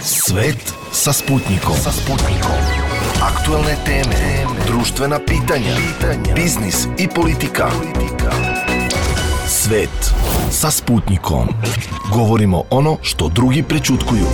Svet sa Sputnikom. Aktualne teme, društvena pitanja, biznis i politika. Svet sa Sputnikom. Govorimo ono što drugi prećutkuju.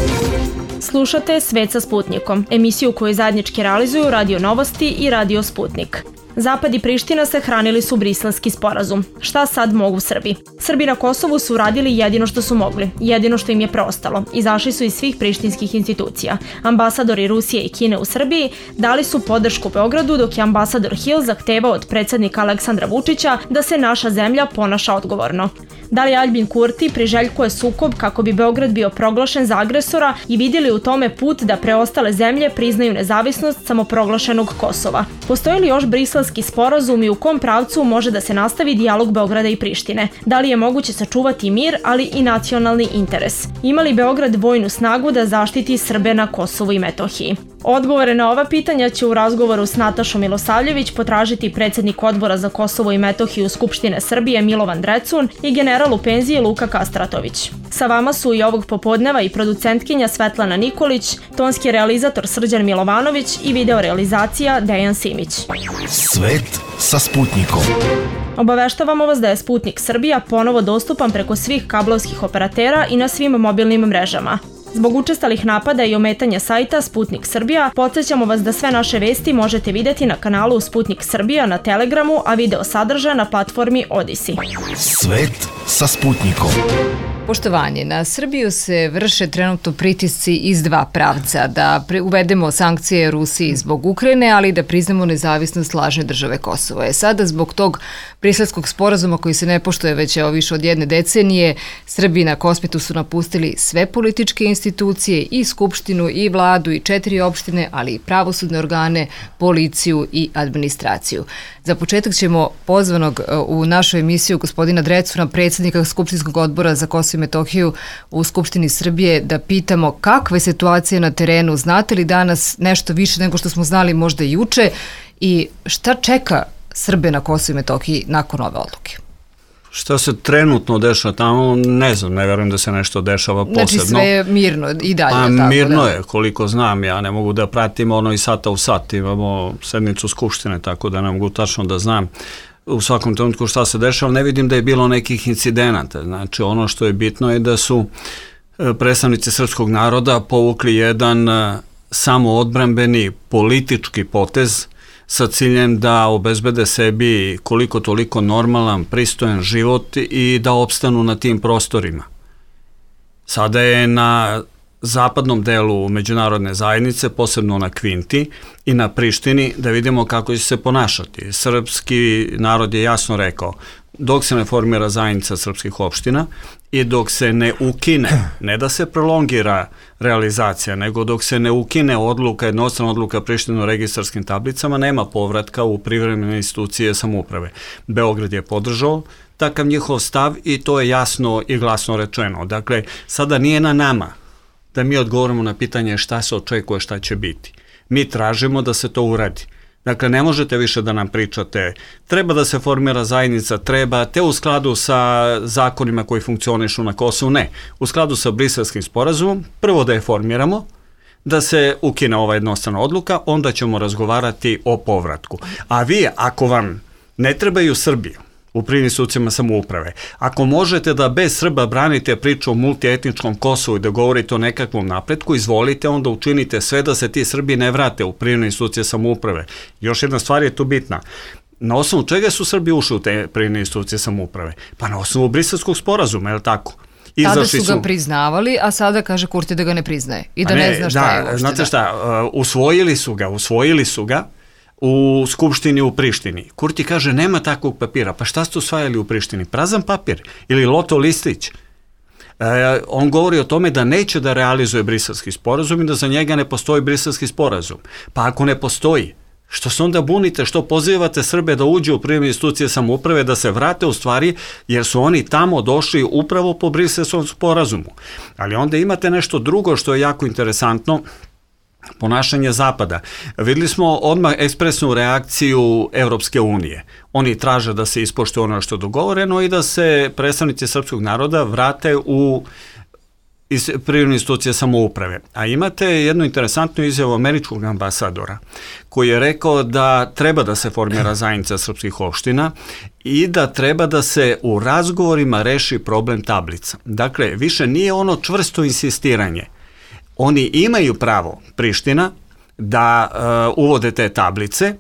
Slušate Svet sa Sputnikom, emisiju koju zajednički realizuju Radio Novosti i Radio Sputnik. Zapad i Priština se hranili su Briselski sporazum. Šta sad mogu Srbi? Srbi na Kosovu su uradili jedino što su mogli, jedino što im je preostalo. Izašli su iz svih prištinskih institucija. Ambasadori Rusije i Kine u Srbiji dali su podršku Beogradu, dok je ambasador Hill zahtevao od predsjednika Aleksandra Vučića da se naša zemlja ponaša odgovorno. Da li Aljbin Kurti priželjkuje sukob kako bi Beograd bio proglašen za agresora i vidjeli u tome put da preostale zemlje priznaju nezavisnost samoproglašenog Kosova? Postoji li još Briselski sporazum i u kom pravcu može da se nastavi dijalog Beograda i Prištine? Da li je moguće sačuvati mir, ali i nacionalni interes? Ima li Beograd vojnu snagu da zaštiti Srbe na Kosovu i Metohiji? Odgovore na ova pitanja će u razgovoru s Natašom Milosavljević potražiti predsjednik Odbora za Kosovo i Metohiju Skupštine Srbije Milovan Drecun i general u penziji Luka Kastratović. Sa vama su i ovog popodneva i producentkinja Svetlana Nikolić, tonski realizator Srđan Milovanović i videorealizacija Dejan Simić. Svet sa Sputnikom. Obaveštavamo vas da je Sputnik Srbija ponovo dostupan preko svih kablovskih operatera i na svim mobilnim mrežama. Zbog učestalih napada i ometanja sajta Sputnik Srbija, podsjećamo vas da sve naše vesti možete vidjeti na kanalu Sputnik Srbija na Telegramu, a video sadržaja na platformi Odisi. Svet sa Sputnikom. Poštovanje, na Srbiju se vrše trenutno pritisci iz dva pravca, da uvedemo sankcije Rusiji zbog Ukrajine, ali i da priznamo nezavisnost lažne države Kosovo. Sada zbog tog Briselskog sporazuma koji se ne poštuje već više od jedne decenije, Srbi na Kosmetu su napustili sve političke institucije, i skupštinu, i vladu, i 4 opštine, ali i pravosudne organe, policiju i administraciju. Za početak ćemo pozvanog u našu emisiju gospodina Drecuna, predsjednika Skupštinskog odbora za Kosovo i Metohiju u Skupštini Srbije, da pitamo kakva je situacija na terenu, znate li danas nešto više nego što smo znali možda i juče i šta čeka Srbe na Kosovu i Metohiji nakon ove odluke? Šta se trenutno dešava tamo, ne znam, ne verujem da se nešto dešava posebno. Znači sve je mirno i dalje. Tako mirno da je, koliko znam, ja ne mogu da pratim ono i sata u sat, imamo sednicu Skupštine, tako da ne mogu tačno da znam u svakom trenutku šta se dešava, ne vidim da je bilo nekih incidenata. Znači ono što je bitno je da su predstavnici srpskog naroda povukli jedan samoodbrambeni politički potez sa ciljem da obezbede sebi koliko toliko normalan, pristojan život i da opstanu na tim prostorima. Sada je na zapadnom delu međunarodne zajednice, posebno na Kvinti i na Prištini, da vidimo kako će se ponašati. Srpski narod je jasno rekao, dok se ne formira zajednica srpskih opština i dok se ne ukine, ne da se prolongira realizacija, nego dok se ne ukine odluka, jednostrana odluka Prištine o registarskim tablicama, nema povratka u privremene institucije samouprave. Beograd je podržao takav njihov stav i to je jasno i glasno rečeno. Dakle, sada nije na nama da mi odgovorimo na pitanje šta se očekuje, šta će biti. Mi tražimo da se to uradi. Dakle, ne možete više da nam pričate, treba da se formira zajednica, treba, te u skladu sa zakonima koji funkcionišu na Kosovu, ne. U skladu sa Briselskim sporazumom, prvo da je formiramo, da se ukine ova jednostrana odluka, onda ćemo razgovarati o povratku. A vi, ako vam ne trebaju Srbiju u privremenim institucijama samouprave, ako možete da bez Srba branite priču o multietničkom Kosovu i da govorite o nekakvom napretku, izvolite, onda učinite sve da se ti Srbi ne vrate u privremene institucije samouprave. Još jedna stvar je tu bitna. Na osnovu čega su Srbi ušli u te privremene institucije samouprave? Pa na osnovu Briselskog sporazuma, je li tako? Tada su ga priznavali, a sada kaže Kurti da ga ne priznaje i da ne zna šta je uopšte. Znate šta, usvojili su ga u Skupštini u Prištini. Kurti kaže nema takvog papira. Pa šta ste usvajali u Prištini? Prazan papir ili loto listić. On govori o tome da neće da realizuje Briselski sporazum i da za njega ne postoji Briselski sporazum. Pa ako ne postoji, što se onda bunite, što pozivate Srbe da uđu u privremene institucije samouprave, da se vrate u stvari, jer su oni tamo došli upravo po Briselskom sporazumu. Ali onda imate nešto drugo što je jako interesantno, ponašanje Zapada. Videli smo odmah ekspresnu reakciju Evropske unije. Oni traže da se ispoštuje ono što je dogovoreno i da se predstavnici srpskog naroda vrate u iz privredne institucije samouprave. A imate jednu interesantnu izjavu američkog ambasadora koji je rekao da treba da se formira zajednica srpskih opština i da treba da se u razgovorima reši problem tablica. Dakle, više nije ono čvrsto insistiranje. Oni imaju pravo, Priština, da uvode te tablice,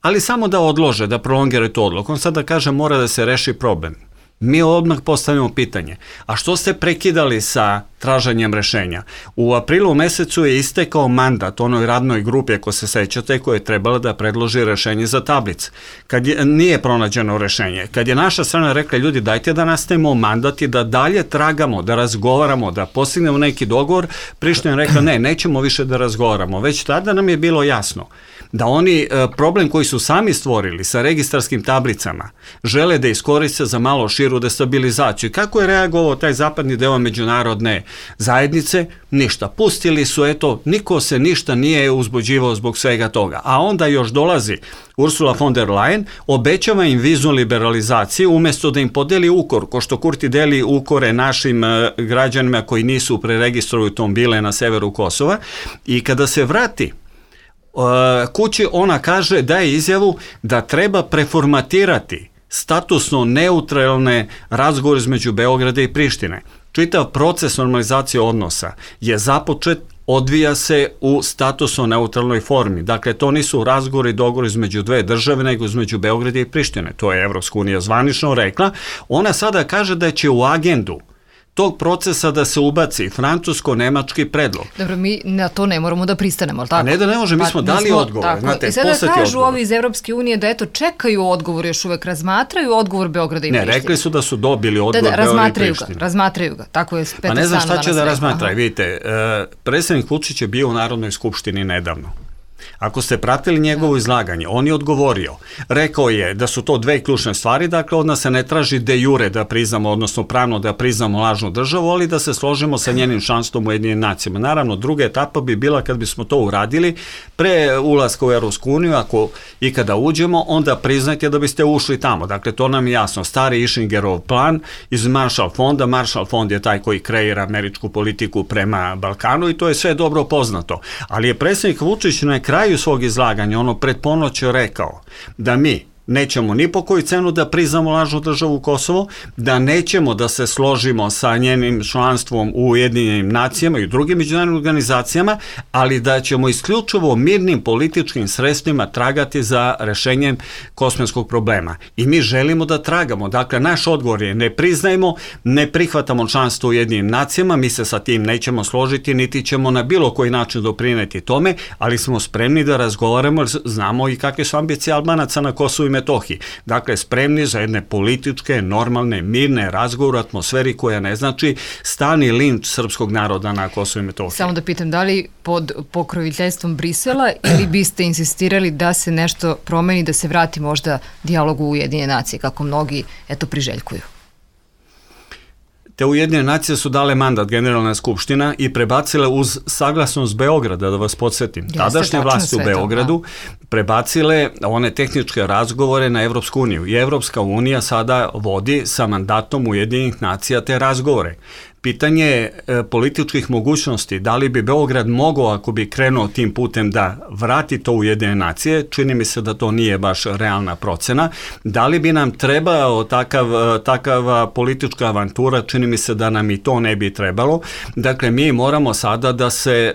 ali samo da odlože, da prolongiraju tu odluku. On sada kaže mora da se reši problem. Mi odmah postavimo pitanje, a što ste prekidali sa traženjem rešenja? U aprilu mesecu je istekao mandat onoj radnoj grupi, ako se sećate, koja je trebala da predloži rešenje za tablice. Nije pronađeno rešenje. Kad je naša strana rekla, ljudi, dajte da nastavimo mandat i da dalje tragamo, da razgovaramo, da postignemo neki dogovor, Priština je rekla, ne, nećemo više da razgovaramo. Već tada nam je bilo jasno da oni problem koji su sami stvorili sa registarskim tablicama žele da iskoriste za malo širu destabilizaciju. Kako je reagovao taj zapadni deo međunarodne zajednice? Ništa. Pustili su, eto, niko se ništa nije uzbuđivao zbog svega toga. A onda još dolazi Ursula von der Leyen, obećava im viznu liberalizaciju umesto da im podeli ukor, ko što Kurti deli ukore našim građanima koji nisu preregistruju automobile na severu Kosova. I kada se vrati kući, ona kaže, daje izjavu da treba preformatirati statusno neutralne razgovore između Beograda i Prištine. Čitav proces normalizacije odnosa je započet, odvija se u statusno neutralnoj formi. Dakle, to nisu razgovori i dogovori između dve države, nego između Beograda i Prištine. To je Evropska unija zvanično rekla. Ona sada kaže da će u agendu tog procesa da se ubaci francusko-nemački predlog. Dobro, mi na to ne moramo da pristanemo, ali tako? A ne da ne može, mi smo dali odgovor. Znate, i sada kažu ovi iz Evropske unije da eto čekaju odgovor, još uvek razmatraju odgovor Beograda i Prištine. Ne, rekli su da su dobili odgovor Beograda i Prištine. Razmatraju ga, tako je Petar Stanojević. Pa ne znam šta će da razmatraju, vidite, predsjednik Vučić je bio u Narodnoj skupštini nedavno. Ako ste pratili njegovo izlaganje, on je odgovorio. Rekao je da su to dve ključne stvari, dakle od nas se ne traži de jure da priznamo, odnosno pravno da priznamo lažnu državu, ali da se složimo sa njenim članstvom u Ujedinjenim nacijama. Naravno, druga etapa bi bila kad bismo to uradili pre ulaska u Evropsku uniju, ako i kada uđemo, onda priznajte da biste ušli tamo. Dakle, to nam je jasno. Stari Ishingerov plan iz Marshall fonda. Marshall fond je taj koji kreira američku politiku prema Balkanu i to je sve dobro poznato. Ali je predsjednik Vučić na kraju svog izlaganja, ono pred ponoć rekao da mi nećemo ni po koju cenu da priznamo lažnu državu Kosovo, da nećemo da se složimo sa njenim članstvom u Ujedinjenim nacijama i u drugim međunarodnim organizacijama, ali da ćemo isključivo mirnim političkim sredstvima tragati za rešenjem kosovskog problema. I mi želimo da tragamo. Dakle, naš odgovor je ne priznajemo, ne prihvatamo članstvo u Ujedinjenim nacijama, mi se sa tim nećemo složiti, niti ćemo na bilo koji način doprineti tome, ali smo spremni da razgovaramo, jer znamo i kakve su ambicije Albanaca na Kosovu i Metohiji. Dakle, spremni za jedne političke, normalne, mirne razgovore u atmosferi koja ne znači stalni linč srpskog naroda na Kosovu i Metohiji. Samo da pitam, da li pod pokroviteljstvom Brisela ili biste insistirali da se nešto promeni, da se vrati možda dijalogu u Ujedinjene nacije, kako mnogi priželjkuju? Te Ujedinjene nacije su dale mandat Generalna skupština i prebacile uz saglasnost Beograda, da vas podsjetim. Tadašnje vlasti u Beogradu prebacile one tehničke razgovore na Evropsku uniju. I Evropska unija sada vodi sa mandatom Ujedinjenih nacija te razgovore. Pitanje političkih mogućnosti, da li bi Beograd mogao, ako bi krenuo tim putem, da vrati to u Ujedinjene nacije, čini mi se da to nije baš realna procena. Da li bi nam trebao takav politička avantura, čini mi se da nam i to ne bi trebalo. Dakle, mi moramo sada da se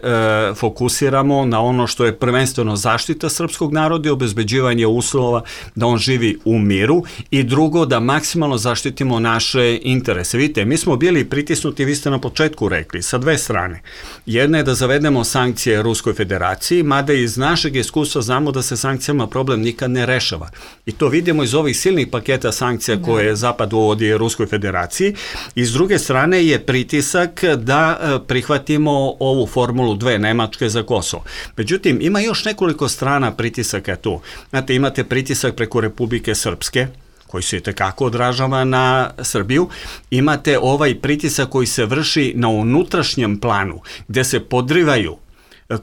fokusiramo na ono što je prvenstveno zaštita srpskog naroda i obezbeđivanje uslova da on živi u miru i drugo, da maksimalno zaštitimo naše interese. Vidite, mi smo bili pritisnuti, vi ste na početku rekli, sa dve strane. Jedna je da zavedemo sankcije Ruskoj federaciji, mada iz našeg iskustva znamo da se sankcijama problem nikad ne rešava. I to vidimo iz ovih silnih paketa sankcija koje Zapad uvodi Ruskoj federaciji. I s druge strane je pritisak da prihvatimo ovu formulu 2 Nemačke za Kosovo. Međutim, ima još nekoliko strana pritisaka tu. Znate, imate pritisak preko Republike Srpske, koji se itekako odražava na Srbiju. Imate ovaj pritisak koji se vrši na unutrašnjem planu, gde se podrivaju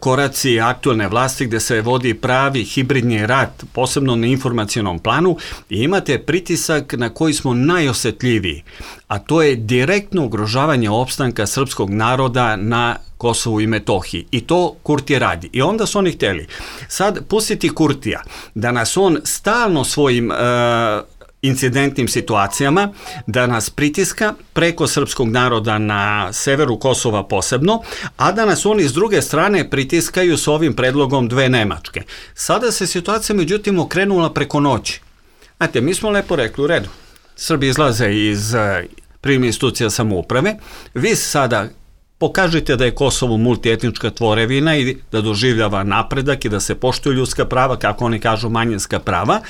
koraci aktualne vlasti gde se vodi pravi hibridni rat, posebno na informacionom planu, i imate pritisak na koji smo najosetljiviji, a to je direktno ugrožavanje opstanka srpskog naroda na Kosovu i Metohiji. I to Kurti radi. I onda su oni hteli sad pustiti Kurtija da nas on stalno svojim incidentnim situacijama, da nas pritiska preko srpskog naroda na severu Kosova posebno, a da nas oni s druge strane pritiskaju s ovim predlogom 2 Nemačke. Sada se situacija međutim okrenula preko noći. Znate, mi smo lepo rekli, u redu, Srbi izlaze iz privremenih institucija samouprave, vi sada pokažite da je Kosovo multietnička tvorevina i da doživljava napredak i da se poštuju ljudska prava, kako oni kažu manjinska prava,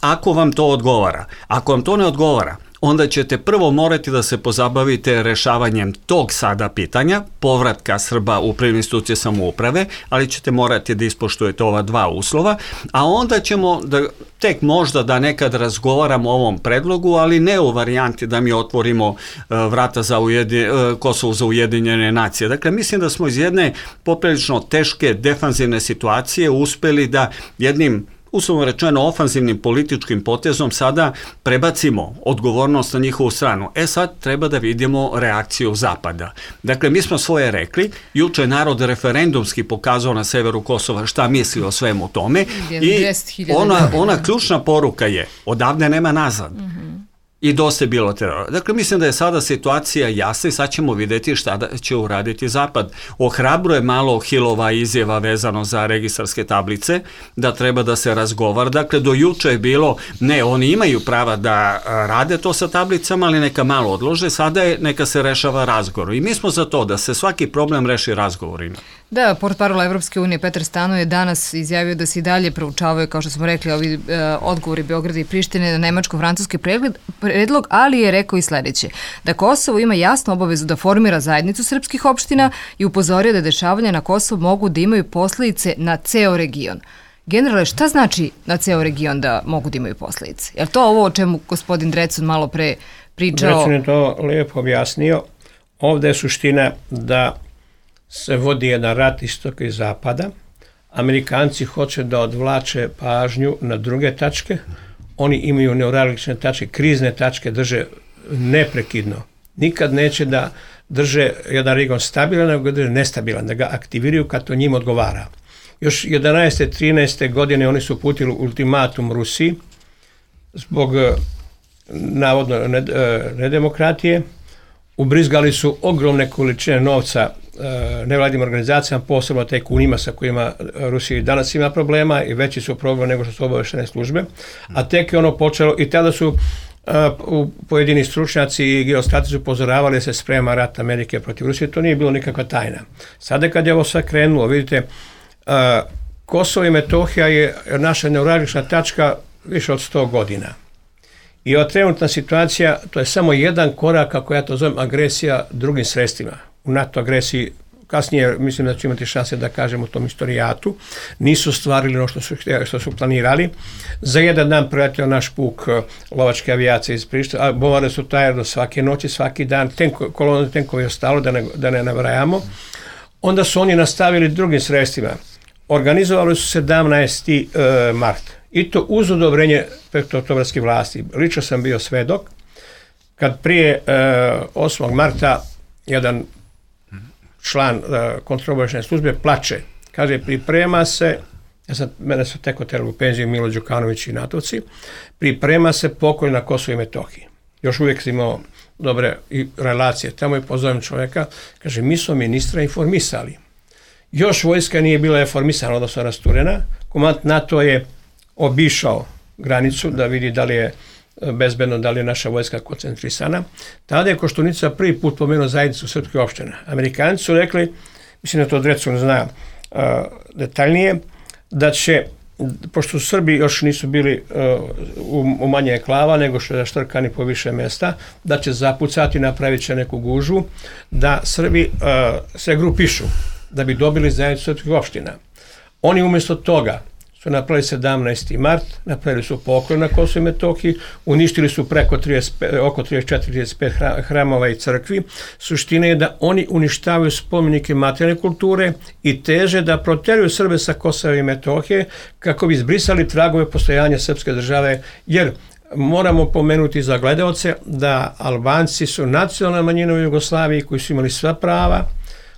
ako vam to odgovara. Ako vam to ne odgovara, onda ćete prvo morati da se pozabavite rešavanjem tog sada pitanja, povratka Srba u privremenih institucija samouprave, ali ćete morati da ispoštujete ova 2 uslova, a onda ćemo tek možda da nekad razgovaramo o ovom predlogu, ali ne u varijanti da mi otvorimo vrata za Kosovo za Ujedinjene nacije. Dakle, mislim da smo iz jedne poprilično teške defanzivne situacije uspeli da jednim, uslovno rečeno, ofanzivnim političkim potezom sada prebacimo odgovornost na njihovu stranu. Sad treba da vidimo reakciju Zapada. Dakle, mi smo svoje rekli, juče je narod referendumski pokazao na severu Kosova šta misli o svemu tome i ona ključna poruka je, odavde nema nazad. I dosta je bilo terora. Dakle, mislim da je sada situacija jasna i sad ćemo vidjeti šta će uraditi Zapad. Ohrabruje malo Hilova izjava vezano za registarske tablice, da treba da se razgovara. Dakle, do juče je bilo, ne, oni imaju prava da rade to sa tablicama, ali neka malo odlože, sada je neka se rešava razgovor. I mi smo za to da se svaki problem reši razgovorima. Da, portparol Evropske unije Petar Stanojević je danas izjavio da se i dalje proučavaju, kao što smo rekli, ovi odgovori Beograda i Prištine na nemačko-francuski predlog, ali je rekao i sledeće, da Kosovo ima jasnu obavezu da formira zajednicu srpskih opština i upozorio da dešavanja na Kosovu mogu da imaju posledice na ceo region. Generale, šta znači na ceo region da mogu da imaju posledice? Je li to ovo o čemu gospodin Drecun malo pre pričao? Drecun je to lijepo objasnio. Ovde je suština da se vodi jedan rat istoka i zapada. Amerikanci hoće da odvlače pažnju na druge tačke. Oni imaju neuralgične tačke, krizne tačke drže neprekidno. Nikad neće da drže jedan region stabilan, nego ga drže nestabilan, da ga aktiviraju kad to njima odgovara. Još 11. 13. godine oni su uputili ultimatum Rusiji zbog navodno nedemokratije. Ubrizgali su ogromne količine novca nevladnim organizacijama, posebno tajkunima sa kojima Rusija danas ima problema i veći su problem nego što su obaveštene službe. A tek je ono počelo i tada su pojedini stručnjaci i geostratezi upozoravali da se sprema rat Amerike protiv Rusije. To nije bilo nikakva tajna. Sada kad je ovo sve krenulo, vidite, Kosovo i Metohija je naša neuralgična tačka više od 100 godina. I ova trenutna situacija, to je samo jedan korak, kako ja to zovem, agresija drugim sredstvima. U NATO agresiji, kasnije mislim da ću imati šanse da kažem u tom istorijatu, nisu stvarili ono što su planirali. Za jedan dan preletio naš puk lovačke avijacije iz Priština, a bombardovali su taj aerodrom svake noći, svaki dan, kolona tenkova je ostalo, da ne nabrajamo. Onda su oni nastavili drugim sredstvima. Organizovali su 17. mart. I to uz odobrenje petooktobarske vlasti. Lično sam bio svedok kad prije 8. marta jedan član kontraobaveštajne službe plače. Kaže, priprema se, mene su tek oterali u penziju Milo Đukanović i Natovci, priprema se pokolj na Kosovo i Metohiji. Još uvijek sam imao dobre relacije. Tamo je pozovem čovjeka, kaže, mi smo ministra informisali. Još vojska nije bila informisana, odnosno rasturena. Komandant NATO je obišao granicu da vidi da li je bezbedno, da li je naša vojska koncentrisana. Tada je Koštunica prvi put pomenuo zajednicu srpskih opština. Amerikanci su rekli, mislim da to Drecun zna detaljnije, da će, pošto Srbi još nisu bili u manje enklava nego što je štrkani po više mjesta, da će zapucati, napravit će neku gužu, da Srbi se grupišu da bi dobili zajednicu srpskih opština. Oni umjesto toga su napravili 17. mart, napravili su poklon na Kosovo i Metohiji, uništili su oko 34-35 hramova i crkvi. Suština je da oni uništavaju spomenike materijalne kulture i teže da proteraju Srbe sa Kosova i Metohije kako bi izbrisali tragove postojanja srpske države, jer moramo pomenuti za gledaoce da Albanci su nacionalna manjina u Jugoslaviji koji su imali sva prava.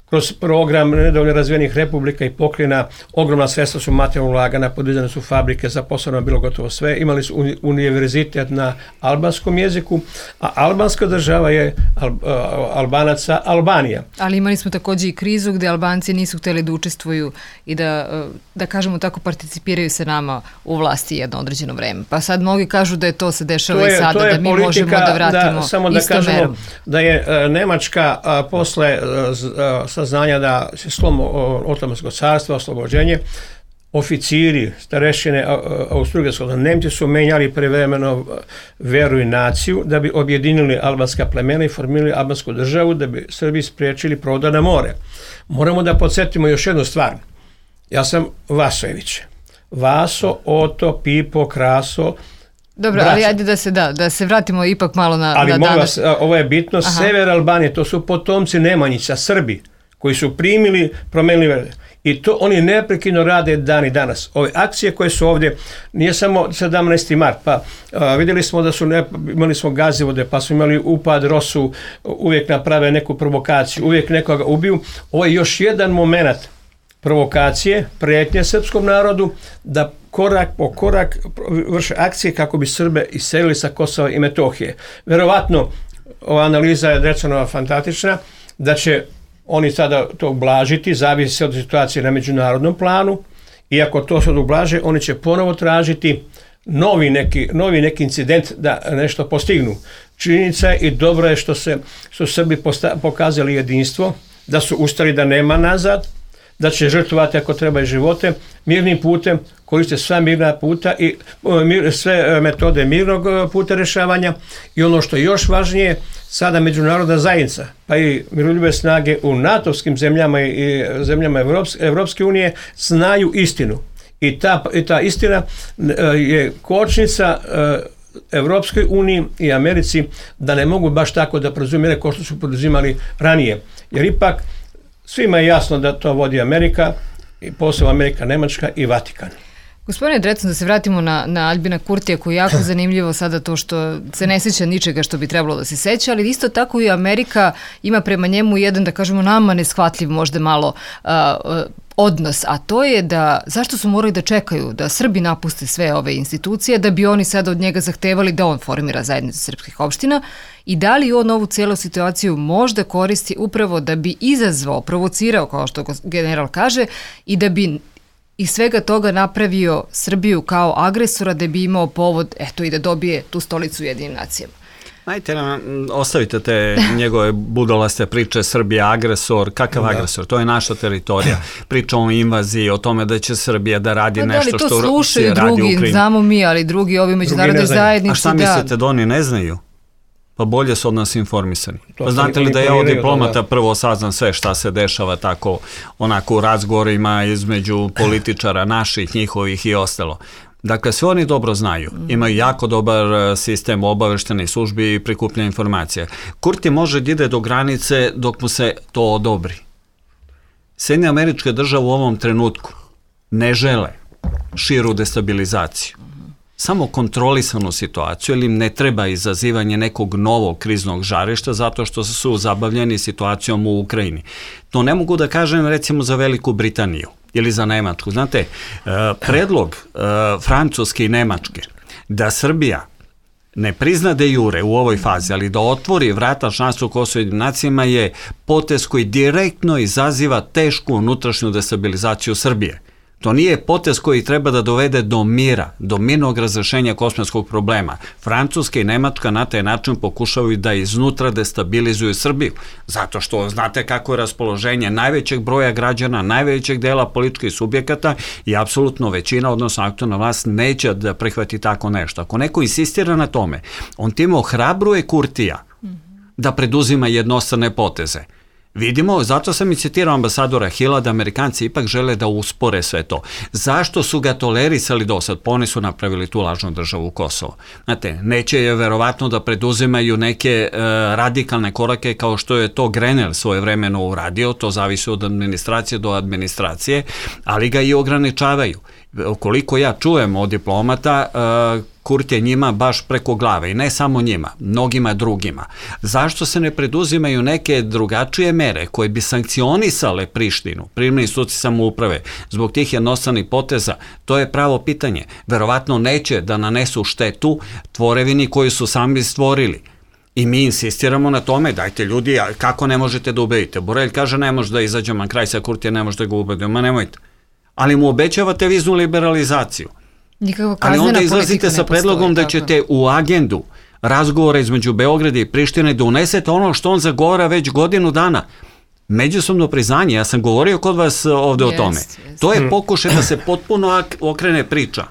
Kroz program nedovoljno razvijenih republika i pokrajina ogromna sredstva su materijalno ulagana, podizane su fabrike, zaposleno bilo gotovo sve, imali su univerzitet na albanskom jeziku, a albanska država je Albanaca Albanija. Ali imali smo takođe i krizu gde Albanci nisu hteli da učestvuju i da kažemo tako, participiraju se nama u vlasti jedno određeno vreme. Pa sad mnogi kažu da je to se dešava i sada, da mi možemo da vratimo samo da istom kažemo merom. Da je Nemačka posle saznanja da se slom Otomanskog carstva, oslobođenje, oficiri, starešine Austro-Ugarskog, Nemci su menjali prevremeno veru i naciju da bi objedinili albanska plemena i formirali albansku državu, da bi Srbi spriječili prodor na more. Moramo da podsjetimo još jednu stvar. Ja sam Vasojević. Vaso, Oto, Pipo, Kraso. Dobro, ali ajde da se vratimo ipak malo na ali danas. Ali vas, ovo je bitno, sever Albanije, to su potomci Nemanjića, Srbi, koji su promenili vere. I to oni neprekidno rade dan i danas. Ove akcije koje su ovdje, nije samo 17. mart, pa vidjeli smo da imali smo gazivode, pa smo imali upad Rosu, uvijek naprave neku provokaciju, uvijek nekoga ubiju. Ovo je još jedan moment provokacije, prijetnje srpskom narodu, da korak po korak vrše akcije kako bi Srbe iselili sa Kosova i Metohije. Verovatno, ova analiza je Drecanova fantastična, da će oni sada to ublažiti, zavisi od situacije na međunarodnom planu, i ako to sad ublaže, oni će ponovo tražiti novi neki incident da nešto postignu. Činjenica je i dobro je što su Srbi pokazali jedinstvo, da su ustali da nema nazad, da će žrtvovati ako treba i živote, mirnim putem, koriste sva mirna puta i sve metode mirnog puta rješavanja. I ono što je još važnije, sada međunarodna zajednica, pa i miroljubive snage u NATO-vskim zemljama i zemljama Evropske unije znaju istinu. I ta istina je kočnica Evropskoj uniji i Americi da ne mogu baš tako da preuzimaju kao što su poduzimali ranije. Jer ipak svima je jasno da to vodi Amerika, i posebno Amerika, Nemačka i Vatikan. Gospodine Drecun, da se vratimo na Aljbina Kurtija, koji je jako zanimljivo sada to što se ne seća ničega što bi trebalo da se seća, ali isto tako i Amerika ima prema njemu jedan, da kažemo, nama neshvatljiv možda malo odnos, a to je da zašto su morali da čekaju da Srbi napuste sve ove institucije, da bi oni sada od njega zahtevali da on formira zajednicu srpskih opština, i da li on ovu cijelu situaciju možda koristi upravo da bi izazvao, provocirao, kao što general kaže, i da bi iz svega toga napravio Srbiju kao agresora, da bi imao povod, eto, i da dobije tu stolicu u Jedinim nacijama. Ajte, ostavite te njegove budalaste priče, Srbija agresor, kakav agresor, to je naša teritorija. Priča o invaziji, o tome da će Srbija da radi nešto što Rusija radi u Ukrajini. To slušaju drugi, znamo mi, ali drugi ovi međunarodne zajednice. A šta mislite da oni ne znaju? Pa bolje su od nas informisani. Pa znate li da ja od diplomata prvo saznam sve šta se dešava tako onako u razgovorima između političara naših, njihovih i ostalo. Dakle, sve oni dobro znaju. Imaju jako dobar sistem obaveštenih službi i prikupljanja informacija. Kurti može da ide do granice dok mu se to odobri. Sjedinjene Američke Države u ovom trenutku ne žele širu destabilizaciju. Samo kontrolisanu situaciju, ili im ne treba izazivanje nekog novog kriznog žarišta zato što su zabavljeni situacijom u Ukrajini. To ne mogu da kažem recimo za Veliku Britaniju ili za Nemačku. Znate, predlog Francuske i Nemačke da Srbija ne prizna de jure u ovoj fazi, ali da otvori vrata članstvu Kosova i Jedinim nacijama je potez koji direktno izaziva tešku unutrašnju destabilizaciju Srbije. To nije potez koji treba da dovede do mira, do mirnog razrešenja kosovskog problema. Francuska i Nemačka na taj način pokušavaju da iznutra destabilizuju Srbiju, zato što znate kako je raspoloženje najvećeg broja građana, najvećeg dela političkih subjekata i apsolutno većina, odnosno aktualna vlast, neće da prihvati tako nešto. Ako neko insistira na tome, on time ohrabruje Kurtija da preduzima jednostrane poteze. Vidimo, zato sam i citirao ambasadora Hilla da Amerikanci ipak žele da uspore sve to. Zašto su ga tolerisali do sad? Pa oni su napravili tu lažnu državu Kosovo. Znate, neće je verovatno da preduzimaju neke radikalne korake kao što je to Grenell svojevremeno uradio, to zavisi od administracije do administracije, ali ga i ograničavaju. Koliko ja čujem od diplomata, Kurti je njima baš preko glave i ne samo njima, mnogima drugima. Zašto se ne preduzimaju neke drugačije mere koje bi sankcionisale Prištinu, privremene institucije samouprave, zbog tih jednostranih poteza? To je pravo pitanje. Verovatno neće da nanesu štetu tvorevini koju su sami stvorili. I mi insistiramo na tome, dajte ljudi, kako ne možete da ubedite? Borelj kaže ne može da izađemo na kraj sa Kurtija, ne može da ga ubedimo, ma nemojte. Ali mu obećavate viznu liberalizaciju. Ali onda izlazite sa predlogom da ćete u agendu razgovora između Beograda i Prištine da unesete ono što on zagovara već godinu dana. Međusobno priznanje, ja sam govorio kod vas ovde o tome. To je pokušaj da se potpuno okrene priča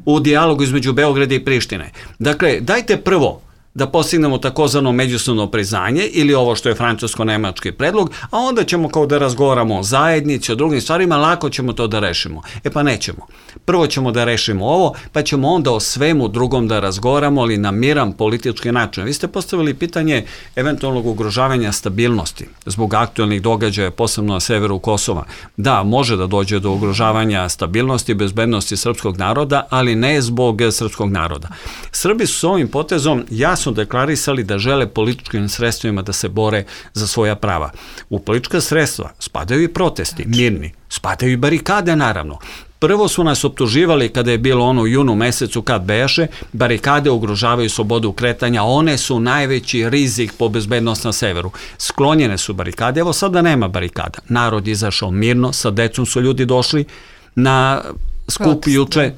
u dijalogu između Beograda i Prištine. Dakle, dajte prvo da postignemo takozvano međusobno priznanje ili ovo što je francusko-nemački predlog, a onda ćemo kao da razgovaramo o zajednici, o drugim stvarima, lako ćemo to da rešimo. Pa nećemo. Prvo ćemo da rešimo ovo, pa ćemo onda o svemu drugom da razgovaramo, ali na miran politički način. Vi ste postavili pitanje eventualnog ugrožavanja stabilnosti zbog aktuelnih događaja, posebno na severu Kosova. Da, može da dođe do ugrožavanja stabilnosti i bezbednosti srpskog naroda, ali ne zbog srpskog naroda. Srbi su s ovim potezom jasno deklarisali da žele političkim sredstvima da se bore za svoja prava. U politička sredstva spadaju i protesti, mirni, spadaju i barikade naravno. Prvo su nas optuživali kada je bilo ono u junu mesecu kad beše, barikade ugrožavaju slobodu kretanja, one su najveći rizik po bezbednost na severu. Sklonjene su barikade, evo sada nema barikada. Narod je izašao mirno, sa decom su ljudi došli na skup juče.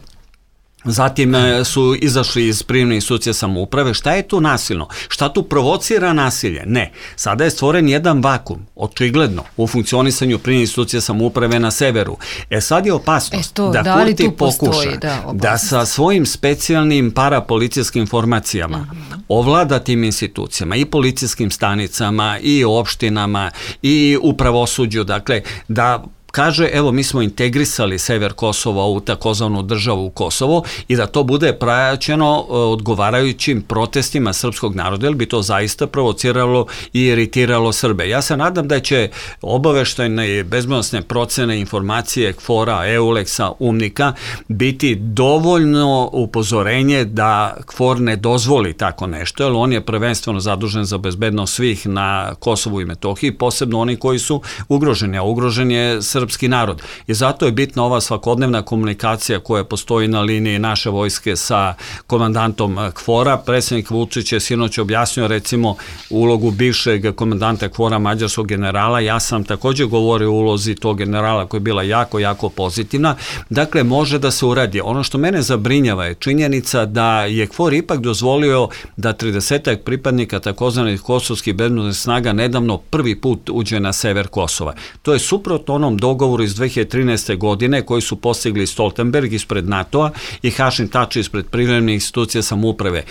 Zatim su izašli iz privremene institucije samouprave. Šta je tu nasilno? Šta tu provocira nasilje? Ne. Sada je stvoren jedan vakum, očigledno, u funkcionisanju privremene institucije samouprave na severu. Sad je opasnost da Kurti pokuša da sa svojim specijalnim parapolicijskim formacijama ovlada tim institucijama i policijskim stanicama i opštinama i u pravosuđu, dakle, da kaže, evo, mi smo integrisali sever Kosova u takozvanu državu Kosovo i da to bude praćeno odgovarajućim protestima srpskog naroda, jer bi to zaista provociralo i iritiralo Srbe. Ja se nadam da će obaveštajne i bezbednosne procene, informacije KFOR-a, EULEX-a, UNMIK-a biti dovoljno upozorenje da KFOR ne dozvoli tako nešto, jer on je prvenstveno zadužen za bezbednost svih na Kosovu i Metohiji, posebno oni koji su ugroženi, a ugrožen je srpski narod. I zato je bitna ova svakodnevna komunikacija koja postoji na liniji naše vojske sa komandantom KFOR-a. Predsjednik Vučić je sinoć objasnio recimo ulogu bivšeg komandanta KFOR-a, mađarskog generala. Ja sam također govorio o ulozi tog generala koja je bila jako, jako pozitivna. Dakle, može da se uradi. Ono što mene zabrinjava je činjenica da je KFOR ipak dozvolio da 30 pripadnika takozvanih kosovskih bezbednosnih snaga nedavno prvi put uđe na sever Kosova. To je suprotno onom dogovoru iz 2013. godine koji su postigli Stoltenberg ispred NATO-a i Hašim Tači ispred privremenih institucija samouprave.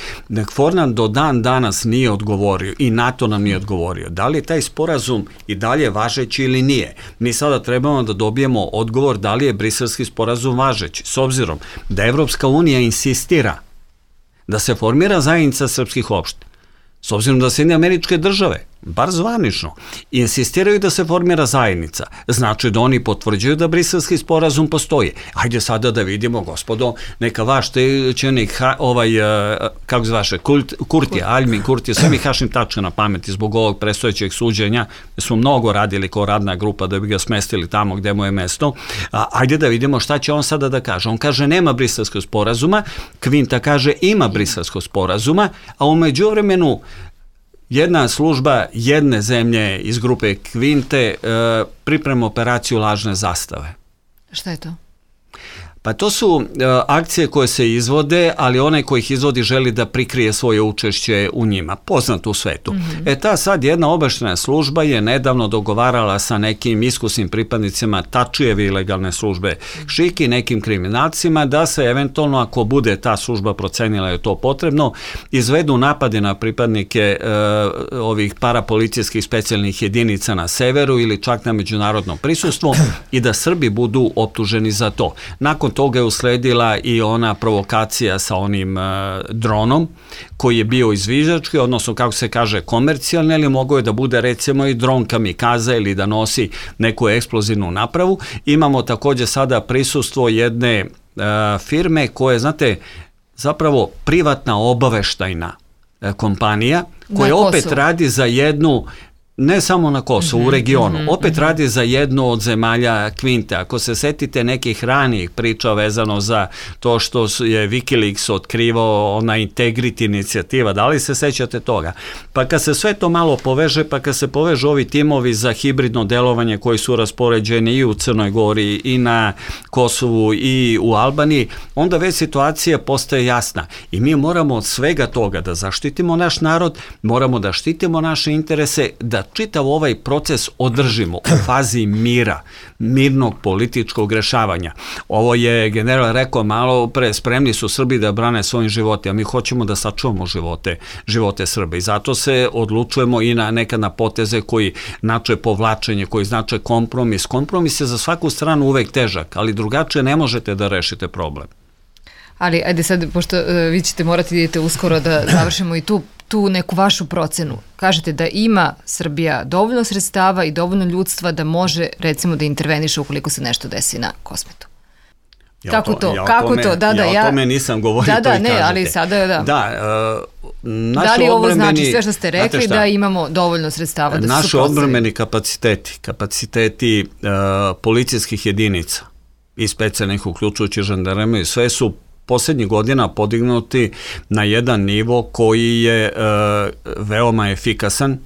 KFOR nam do dan danas nije odgovorio i NATO nam nije odgovorio. Da li je taj sporazum i dalje važeći ili nije? Mi sada trebamo da dobijemo odgovor da li je briselski sporazum važeći, s obzirom da Evropska unija insistira da se formira zajednica srpskih opština, s obzirom da Sjedinjene Američke Države, bar zvanično, insistiraju da se formira zajednica. Znači da oni potvrđuju da briselski sporazum postoji. Hajde sada da vidimo, gospodo, neka vaš tečenik, kako zvaše, Kurtija, Aljmin Kurtija, sve mi Hašim Tačka na pameti zbog ovog predstojećeg suđenja, smo mnogo radili kao radna grupa da bi ga smestili tamo gde mu je mesto. Hajde da vidimo šta će on sada da kaže. On kaže nema briselskog sporazuma, Kvinta kaže ima briselskog sporazuma, a u međuvremenu jedna služba jedne zemlje iz grupe Kvinte priprema operaciju lažne zastave. Šta je to? Pa to su akcije koje se izvode, ali onaj koji ih izvodi želi da prikrije svoje učešće u njima, poznato u svetu. Ta sad jedna obaveštajna služba je nedavno dogovarala sa nekim iskusnim pripadnicima Tačijeve ilegalne službe Šiki, nekim kriminalcima, da se eventualno, ako bude ta služba procenila je to potrebno, izvedu napade na pripadnike ovih parapolicijskih specijalnih jedinica na severu ili čak na međunarodnom prisustvu i da Srbi budu optuženi za to. Nakon toga je usledila i ona provokacija sa onim dronom koji je bio izviždački, odnosno kako se kaže komercijalni, ali mogao je da bude recimo i dron kamikaza ili da nosi neku eksplozivnu napravu. Imamo takođe sada prisustvo jedne firme koja je, znate, zapravo privatna obaveštajna kompanija koja opet radi za jednu, ne samo na Kosovu, u regionu, opet radi za jednu od zemalja Kvinte. Ako se setite nekih ranijih priča vezano za to što je Wikileaks otkrivao, ona Integrity inicijativa, da li se sećate toga? Pa kad se sve to malo poveže, pa kad se povežu ovi timovi za hibridno delovanje koji su raspoređeni i u Crnoj Gori i na Kosovu i u Albaniji, onda već situacija postaje jasna i mi moramo od svega toga da zaštitimo naš narod, moramo da štitimo naše interese, da čitav ovaj proces održimo u fazi mira, mirnog političkog rešavanja. Ovo je general rekao malo pre, spremni su Srbi da brane svojim živote, a mi hoćemo da sačuvamo živote Srba i zato se odlučujemo i nekad na poteze koji znače povlačenje, koji znače kompromis. Kompromis je za svaku stranu uvek težak, ali drugačije ne možete da rešite problem. Ali, ajde sad, pošto vi ćete morati idete uskoro da završimo i tu neku vašu procenu. Kažete da ima Srbija dovoljno sredstava i dovoljno ljudstva da može, recimo, da interveniše ukoliko se nešto desi na Kosmetu. Kako to? Ja o tome nisam govorio, to i kažete. Ali sada da. Da li ovo znači sve što ste rekli da imamo dovoljno sredstava da se suprotstavi? Naši odbrambeni kapaciteti policijskih jedinica i specijalnih, uključujući žandarmeriju, sve su poslednjih godina podignuti na jedan nivo koji je veoma efikasan.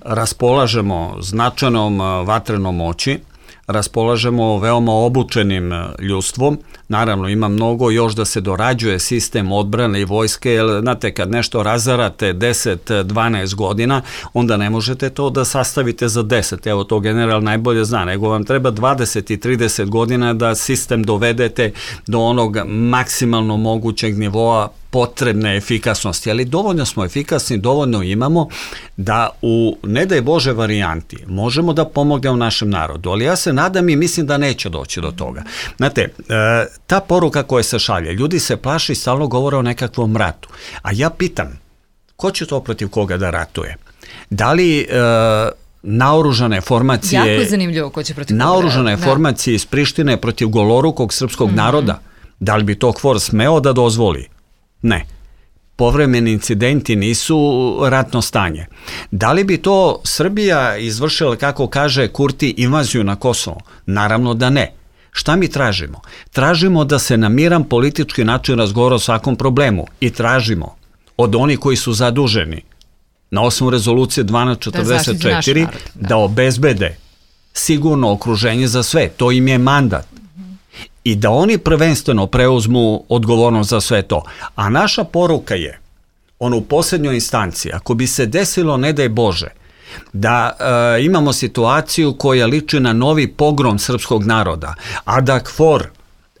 Raspolažemo značajnom vatrenom moći, raspolažemo veoma obučenim ljudstvom. Naravno, ima mnogo još da se dorađuje sistem odbrane i vojske, jer znate, kad nešto razarate 10-12 godina, onda ne možete to da sastavite za 10. Evo, to general najbolje zna, nego vam treba 20 i 30 godina da sistem dovedete do onog maksimalno mogućeg nivoa potrebne efikasnosti, ali dovoljno smo efikasni, dovoljno imamo da u, ne daj Bože, varijanti možemo da pomognemo našem narodu, ali ja se nadam i mislim da neće doći do toga. Znate, ta poruka koja se šalje, ljudi se plaši i stalno govore o nekakvom ratu, a ja pitam, ko će to protiv koga da ratuje? Da li naoružane formacije... Jako je zanimljivo ko će protiv koga naoružane formacije iz Prištine protiv golorukog srpskog naroda, da li bi to KFOR smeo da dozvoli? Ne. Povremeni incidenti nisu ratno stanje. Da li bi to Srbija izvršila, kako kaže Kurti, invaziju na Kosovo? Naravno da ne. Šta mi tražimo? Tražimo da se na miran politički način razgovara o svakom problemu i tražimo od onih koji su zaduženi na osnovu rezolucije 1244 da obezbede sigurno okruženje za sve. To im je mandat. I da oni prvenstveno preuzmu odgovornost za sve to. A naša poruka je, ono u posljednjoj instanciji, ako bi se desilo, ne daj Bože, da imamo situaciju koja liči na novi pogrom srpskog naroda, a da KFOR,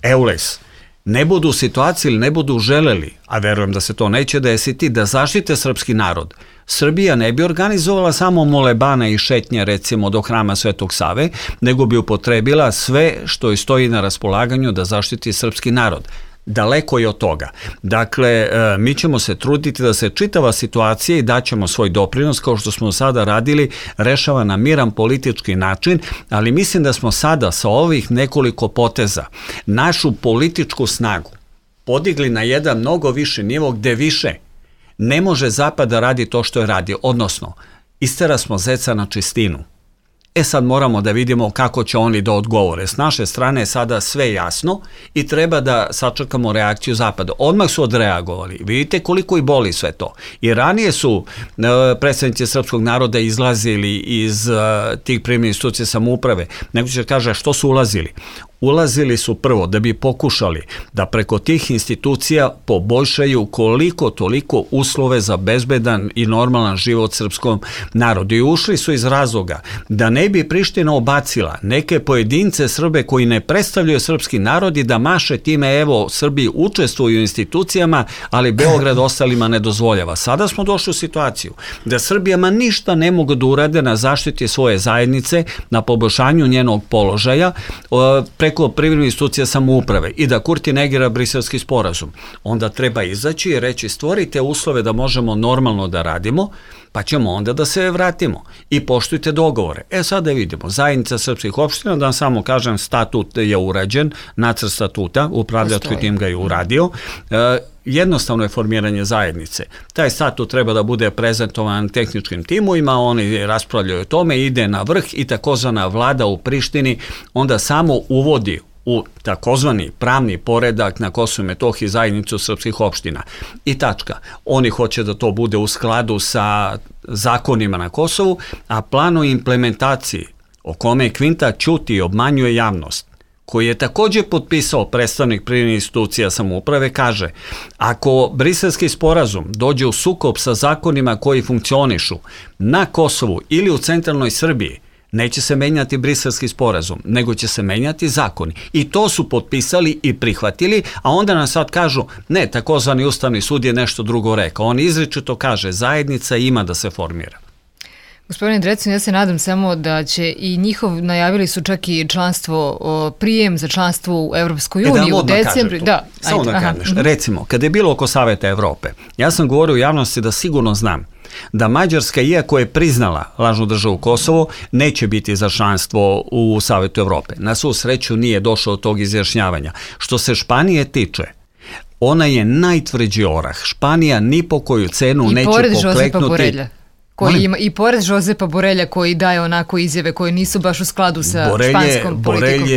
EULEX, ne budu u situaciji ili ne budu želeli, a verujem da se to neće desiti, da zaštite srpski narod, Srbija ne bi organizovala samo molebane i šetnje, recimo, do hrama Svetog Save, nego bi upotrebila sve što joj stoji na raspolaganju da zaštiti srpski narod. Daleko je od toga. Dakle, mi ćemo se truditi da se čitava situacija i daćemo svoj doprinos, kao što smo sada radili, rešava na miran politički način, ali mislim da smo sada sa ovih nekoliko poteza našu političku snagu podigli na jedan mnogo viši nivo gde više ne može Zapad da radi to što je radio, odnosno istera smo zeca na čistinu. Sad moramo da vidimo kako će oni da odgovore. S naše strane je sada sve jasno i treba da sačekamo reakciju Zapada. Odmah su odreagovali. Vidite koliko i boli sve to. I ranije su predstavnici srpskog naroda izlazili iz tih primjenih institucija samouprave. Neko će kaže što su ulazili? ulazili su prvo da bi pokušali da preko tih institucija poboljšaju koliko toliko uslove za bezbedan i normalan život srpskom narodu. I ušli su iz razloga da ne bi Priština obacila neke pojedince Srbe koji ne predstavljaju srpski narod i da maše time, evo, Srbi učestvuju u institucijama, ali Beograd ostalima ne dozvoljava. Sada smo došli u situaciju da Srbijama ništa ne mogu da urade na zaštiti svoje zajednice, na poboljšanju njenog položaja preko privremenih institucija samouprave i da Kurti negira Briselski sporazum. Onda treba izaći i reći stvorite uslove da možemo normalno da radimo, pa ćemo onda da se vratimo i poštujte dogovore. Sada vidimo, zajednica srpskih opština, da vam samo kažem, statut je urađen, nacrt statuta, upravljački tim ga je uradio, jednostavno je formiranje zajednice. Taj statut treba da bude prezentovan tehničkim timovima, oni raspravljaju o tome, ide na vrh i takozvana vlada u Prištini onda samo uvodi u takozvani pravni poredak na Kosovu i Metohiji zajednicu srpskih opština. I tačka. Oni hoće da to bude u skladu sa zakonima na Kosovu, a plan o implementaciji o kome Kvinta ćuti i obmanjuje javnost, koji je također potpisao predstavnik privremenih institucija samouprave, kaže ako Briselski sporazum dođe u sukob sa zakonima koji funkcionišu na Kosovu ili u centralnoj Srbiji, neće se menjati Briselski sporazum, nego će se menjati zakoni. I to su potpisali i prihvatili, a onda nam sad kažu, ne, takozvani Ustavni sud je nešto drugo rekao. On izričito kaže, zajednica ima da se formira. Gospodine Drecun, ja se nadam samo da će i najavili su čak i članstvo, prijem za članstvo u Evropskoj uniji u decembru. Samo da kažeš. Recimo, kada je bilo oko Saveta Evrope, ja sam govorio u javnosti da sigurno znam da Mađarska, iako je priznala lažnu državu Kosovo, neće biti za članstvo u Savetu Evrope. Na svu sreću nije došlo od tog izjašnjavanja. Što se Španije tiče, ona je najtvrđi orah. Španija ni po koju cenu neće pokleknuti. I pored Žozepa Borelja koji daje onako izjave koje nisu baš u skladu sa španskom politikom.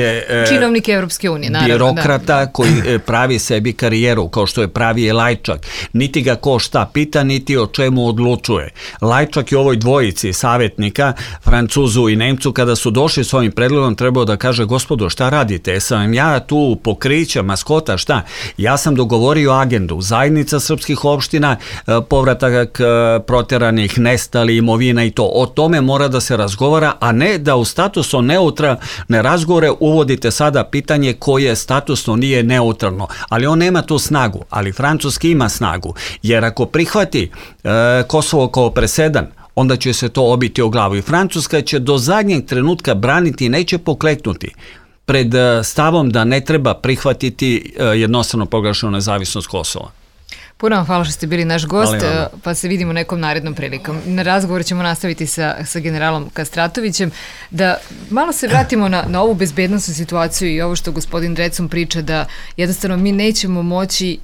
Činovnik Evropske unije, naravno. Birokrata koji pravi sebi karijeru, kao što je pravi Lajčak. Niti ga ko šta pita, niti o čemu odlučuje. Lajčak je ovoj dvojici savjetnika, Francuzu i Nemcu, kada su došli s ovim predlogom, trebao da kaže, gospodo, šta radite? Sam ja tu pokrića, maskota, šta? Ja sam dogovorio agendu. Zajednica srpskih opština, povratak proteranih, nestali, imovina i to. O tome mora da se razgovara, a ne da u statusno neutralne razgovore uvodite sada pitanje koje statusno nije neutralno. Ali on nema tu snagu, ali Francuski ima snagu. Jer ako prihvati Kosovo kao presedan, onda će se to obiti o glavu. I Francuska će do zadnjeg trenutka braniti i neće pokleknuti pred stavom da ne treba prihvatiti jednostavno proglašenu nezavisnost Kosova. Puno vam hvala što ste bili naš gost, pa se vidimo nekom narednom prilikom. Na razgovor ćemo nastaviti sa generalom Kastratovićem. Da malo se vratimo na ovu bezbednosnu situaciju i ovo što gospodin Drecun priča, da jednostavno mi nećemo moći,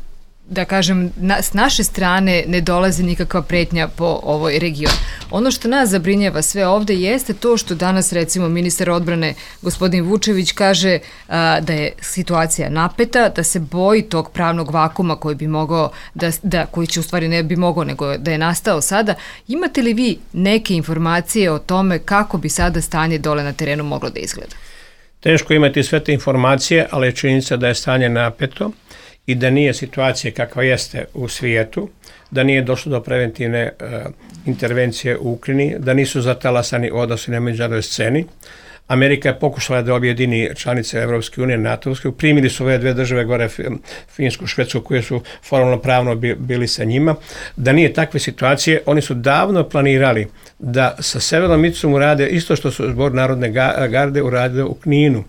da kažem, s naše strane ne dolazi nikakva pretnja po ovoj regionu. Ono što nas zabrinjava sve ovde jeste to što danas, recimo, ministar odbrane gospodin Vučević kaže da je situacija napeta, da se boji tog pravnog vakuma koji bi mogao, koji će u stvari ne bi mogao, nego da je nastao sada. Imate li vi neke informacije o tome kako bi sada stanje dole na terenu moglo da izgleda? Teško imati sve te informacije, ali je činjenica da je stanje napeto i da nije situacija kakva jeste u svijetu, da nije došlo do preventivne intervencije u Ukrajini, da nisu zatalasani odnosi na međunarodnoj sceni. Amerika je pokušala da objedini članice Evropske unije, NATO-vske, primili su ove dve države gore, Finsku, Švedsku, koje su formalno pravno bili sa njima. Da nije takve situacije, oni su davno planirali da sa Severnom Micom urade isto što su Zbor Narodne garde uradili u Kninu.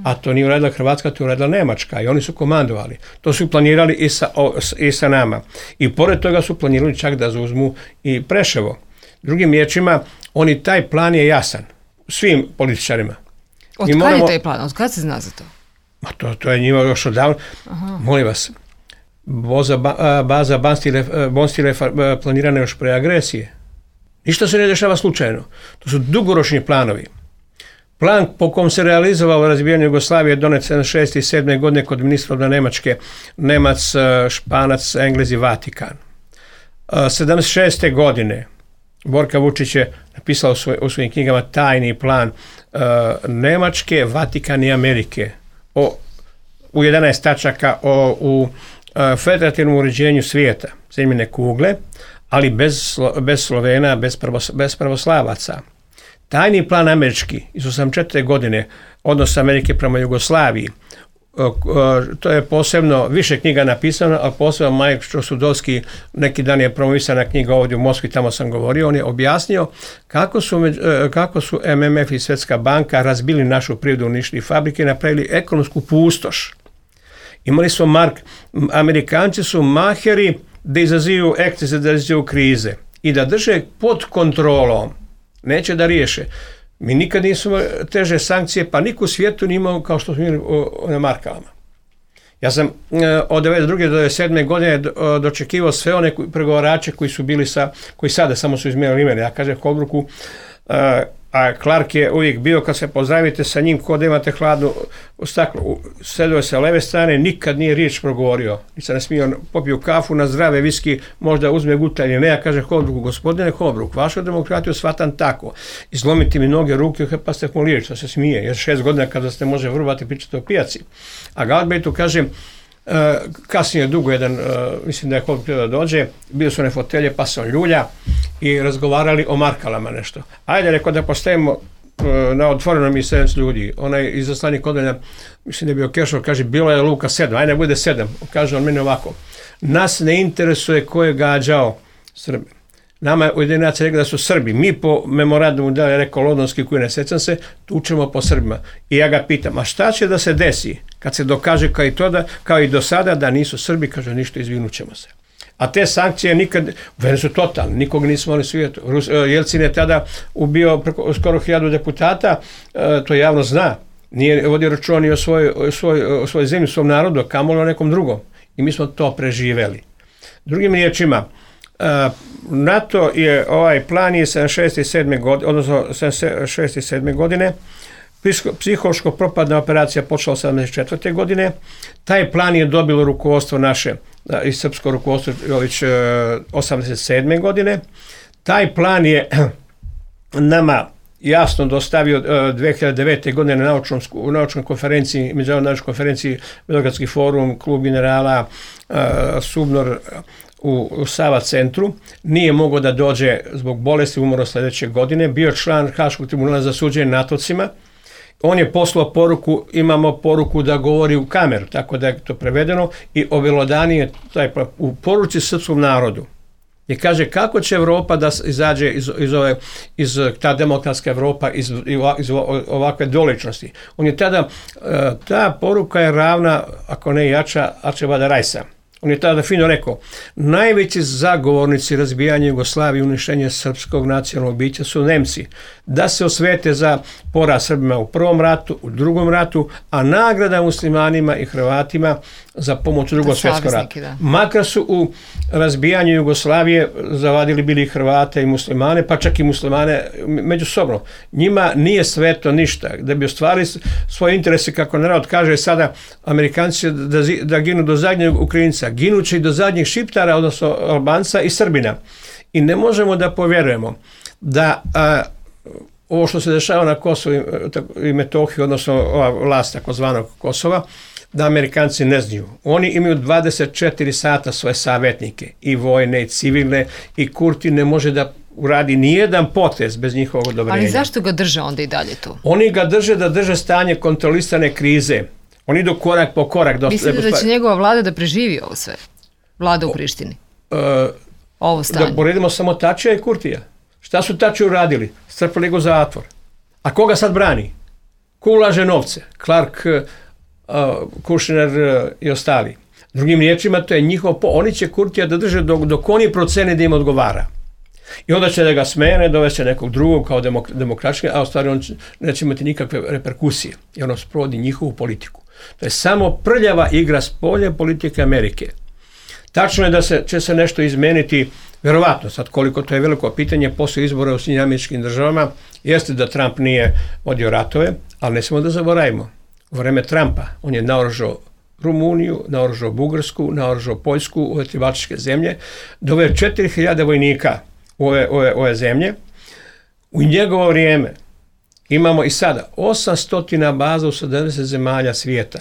A to nije uradila Hrvatska, to je uradila Nemačka i oni su komandovali. To su planirali i sa nama. I pored toga su planirali čak da zauzmu i Preševo. Drugim riječima, taj plan je jasan svim političarima. Od kada je taj plan? Od kada se zna za to? To je njima još odavno. Molim vas, baza Bonstile planirana još pre agresije. Ništa se ne dešava slučajno. To su dugoročni planovi. Plan po kom se realizovalo razbijanje Jugoslavije donet 76. i 7. godine kod ministra odbrane Nemačke, Nemac, Španac, Englez i Vatikan. 76. godine Borka Vučić je napisao u svojim knjigama tajni plan Nemačke, Vatikan i Amerike u 11 tačaka u federativnom uređenju svijeta, zemljine kugle, ali bez Slovena, bez pravoslavaca. Tajni plan američki iz 1984. godine, odnos Amerike prema Jugoslaviji, to je posebno više knjiga napisano, a posebno Majek Sudovski, neki dan je promovisana knjiga ovdje u Moskvi, tamo sam govorio, on je objasnio kako su MMF i Svjetska banka razbili našu privredu, uništili fabrike, napravili ekonomsku pustoš. Imali smo Amerikanci su maheri da izazivu ekscese, da izazivu krize i da drže pod kontrolom, neće da riješe. Mi nikad nismo teže sankcije, pa niko u svijetu nije imao kao što smo imali na markama. Ja sam od 1992. do 1997. godine dočekivao sve one pregovarače koji su bili koji sada samo su izmijenili imena. Ja kažem Holbrooku, a Clark je uvijek bio, kad se pozdravite sa njim, kod imate hladnu staklo, sedio je sa leve strane, nikad nije riječ progovorio. Nisam ne smio, popio kafu na zdrave viski, možda uzme gutalje. Ne, ja kažem Holbrooku, gospodine Holbrook, vašu demokratiju shvatam tako. Izlomiti mi noge, ruke, pa ste mu riječ, to se smije, jer 6 godina kada ste može vrvati pričati o pijaci. A Galbraithu kažem, kasnije dugo jedan, mislim da je Holbrook da dođe, bili su one fotelje, pa se on ljulja i razgovarali o markalama nešto. Ajde, rekao da postavimo na otvorenom i 7 ljudi. Onaj izaslanik odanja, mislim da je bio Kešov, kaže, bilo je luka 7, ajde bude 7. Kaže on meni ovako, nas ne interesuje ko je gađao Srbe. Nama je Ujedinjene nacije rekli da su Srbi. Mi po memorandumu da je rekao Londonski, koji ne sjećam se, tučemo po Srbima. I ja ga pitam, a šta će da se desi kad se dokaže kao i do sada da nisu Srbi? Kaže, ništa, izvinut ćemo se. A te sankcije nikad, vene su totalne, nikog nismo oni svijetu. Jelcin je tada ubio skoro 1000 deputata, to javno zna. Nije vodio računa ni o svojoj zemlji, svom narodu, kamoli o nekom drugom. I mi smo to preživeli. Drugim riječima, NATO je, ovaj plan je 76. godine, odnosno 76. godine, psihološko propadna operacija počela 74. godine, taj plan je dobilo rukovodstvo naše i srpsko rukovodstvo već 87. godine, taj plan je nama jasno dostavio 2009. godine na naučnoj konferenciji, međunarodnoj konferenciji Beogradski forum, klub generala, Subnor u Sava centru, nije mogao da dođe zbog bolesti, umro sljedeće godine, bio član Haškog tribunala za suđenje NATO-cima. On je poslao poruku, imamo poruku da govori u kameru, tako da je to prevedeno i objelodani je u poruci srpskom narodu. I kaže kako će Evropa da izađe iz ta demokratska Evropa, iz ovakve doličnosti. On je tada, ta poruka je ravna, ako ne jača, Arčibalda Rajsa. On je tada fino rekao, najveći zagovornici razbijanja Jugoslavije i uništenja srpskog nacionalnog bića su Nemci. Da se osvete za poraz Srbima u prvom ratu, u drugom ratu, a nagrada muslimanima i Hrvatima za pomoć u drugom svjetskom ratu. Makar su u razbijanju Jugoslavije zavadili bili Hrvate i muslimane, pa čak i muslimane međusobno. Njima nije sveto ništa. Da bi ostvarili svoje interese, kako narod kaže sada, Amerikanci da ginu do zadnjeg Ukrajinca, ginući do zadnjih Šiptara, odnosno Albanca i Srbina. I ne možemo da povjerujemo da ovo što se dešava na Kosovu i Metohiji, odnosno ova vlast takozvanog Kosova, da Amerikanci ne znaju. Oni imaju 24 sata svoje savjetnike, i vojne, i civilne, i Kurti ne može da uradi nijedan potez bez njihovog odobrenja. Ali zašto ga drže onda i dalje tu? Oni ga drže stanje kontrolisane krize. Oni idu korak po korak. Mislite da će njegova vlada da preživi ovo sve? Vlada u Prištini? Ovo stanje? Da poredimo samo Tačija i Kurtija. Šta su Tačiju uradili? Strpali ga u zatvor. A koga sad brani? Ko ulaže novce? Clark, Kushner i ostali. Drugim riječima, to je njihov oni će Kurtija da drže dok oni procene da im odgovara. I onda će da ga smene, dovesti nekog drugog kao demokratski, a u stvari on neće imati nikakve reperkusije. I ono sprovodi njihovu politiku. To je samo prljava igra spolje politike Amerike. Tačno je da će se nešto izmeniti, vjerovatno, sad koliko to je veliko pitanje, poslije izbora u Sjedinjenim Američkim Državama, jeste da Trump nije vodio ratove, ali ne smemo da zaboravimo. U vreme Trumpa on je naoružao Rumuniju, naoružao Bugarsku, naoružao Poljsku, ove tri baltičke zemlje, doveo 4000 vojnika u ove zemlje. U njegovo vrijeme Imamo i sada 800 baza u 70 zemalja svijeta.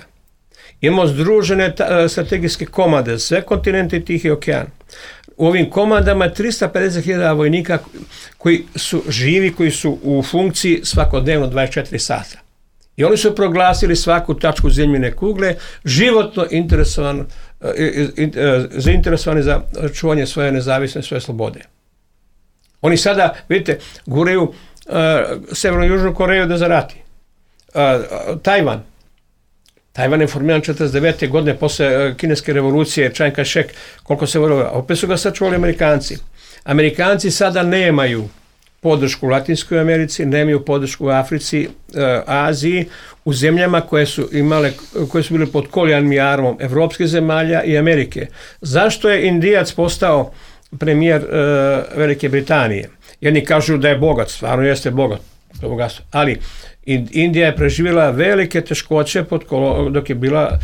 Imamo združene strategijske komande, sve kontinente i Tihi okean. U ovim komandama je 350.000 vojnika koji su živi, koji su u funkciji svakodnevno 24 sata. I oni su proglasili svaku tačku zemljine kugle životno zainteresovani za čuvanje svoje nezavisne, svoje slobode. Oni sada, vidite, guraju Severnu i Južnu Koreju da zarati. Tajvan je formiran 49. godine posle kineske revolucije, Chiang Kai-shek, koliko se voljava. Opet su ga sačuvali Amerikanci. Amerikanci sada nemaju podršku u Latinskoj Americi, nemaju podršku u Africi, Aziji, u zemljama koje su bile pod kolonijalnim jarmom evropskih zemalja i Amerike. Zašto je Indijac postao premijer Velike Britanije? Jedni kažu da je bogat, stvarno jeste bogat, ali Indija je preživjela velike teškoće dok je bila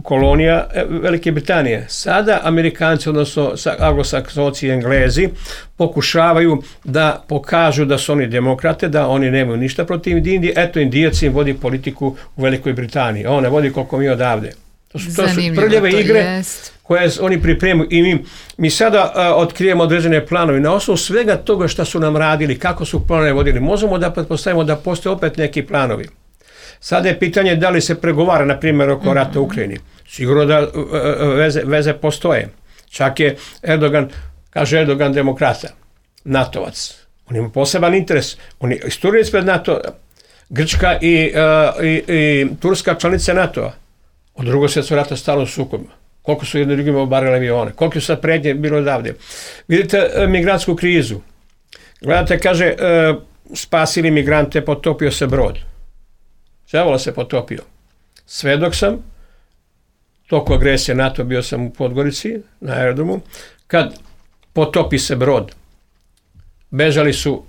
kolonija Velike Britanije. Sada Amerikanci, odnosno anglosaksonci i Englezi, pokušavaju da pokažu da su oni demokrate, da oni nemaju ništa protiv Indije. Eto, Indijac im vodi politiku u Velikoj Britaniji. On ne vodi koliko mi odavde. To su prljave igre koje oni pripremaju i mi sada otkrijemo određene planove. Na osnovu svega toga što su nam radili, kako su planove vodili, možemo da pretpostavimo da postoje opet neki planovi. Sada je pitanje da li se pregovara, na primjer, oko rata u Ukrajini. Sigurno da veze postoje. Čak je Erdogan demokrata, NATO-vac. On ima poseban interes. On je isturili ispred NATO, Grčka i Turska članice NATO-a. Od Drugog svjetskog rata stalno sukobima. Koliko su jedni drugima obarali avione, koliko su sad prednje bilo odavde. Vidite migrantsku krizu. Gledate, kaže, spasili migrante, potopio se brod. Đavola se potopio. Svedok sam, toliko agresije NATO, bio sam u Podgorici, na aerodromu, kad potopi se brod. Bežali su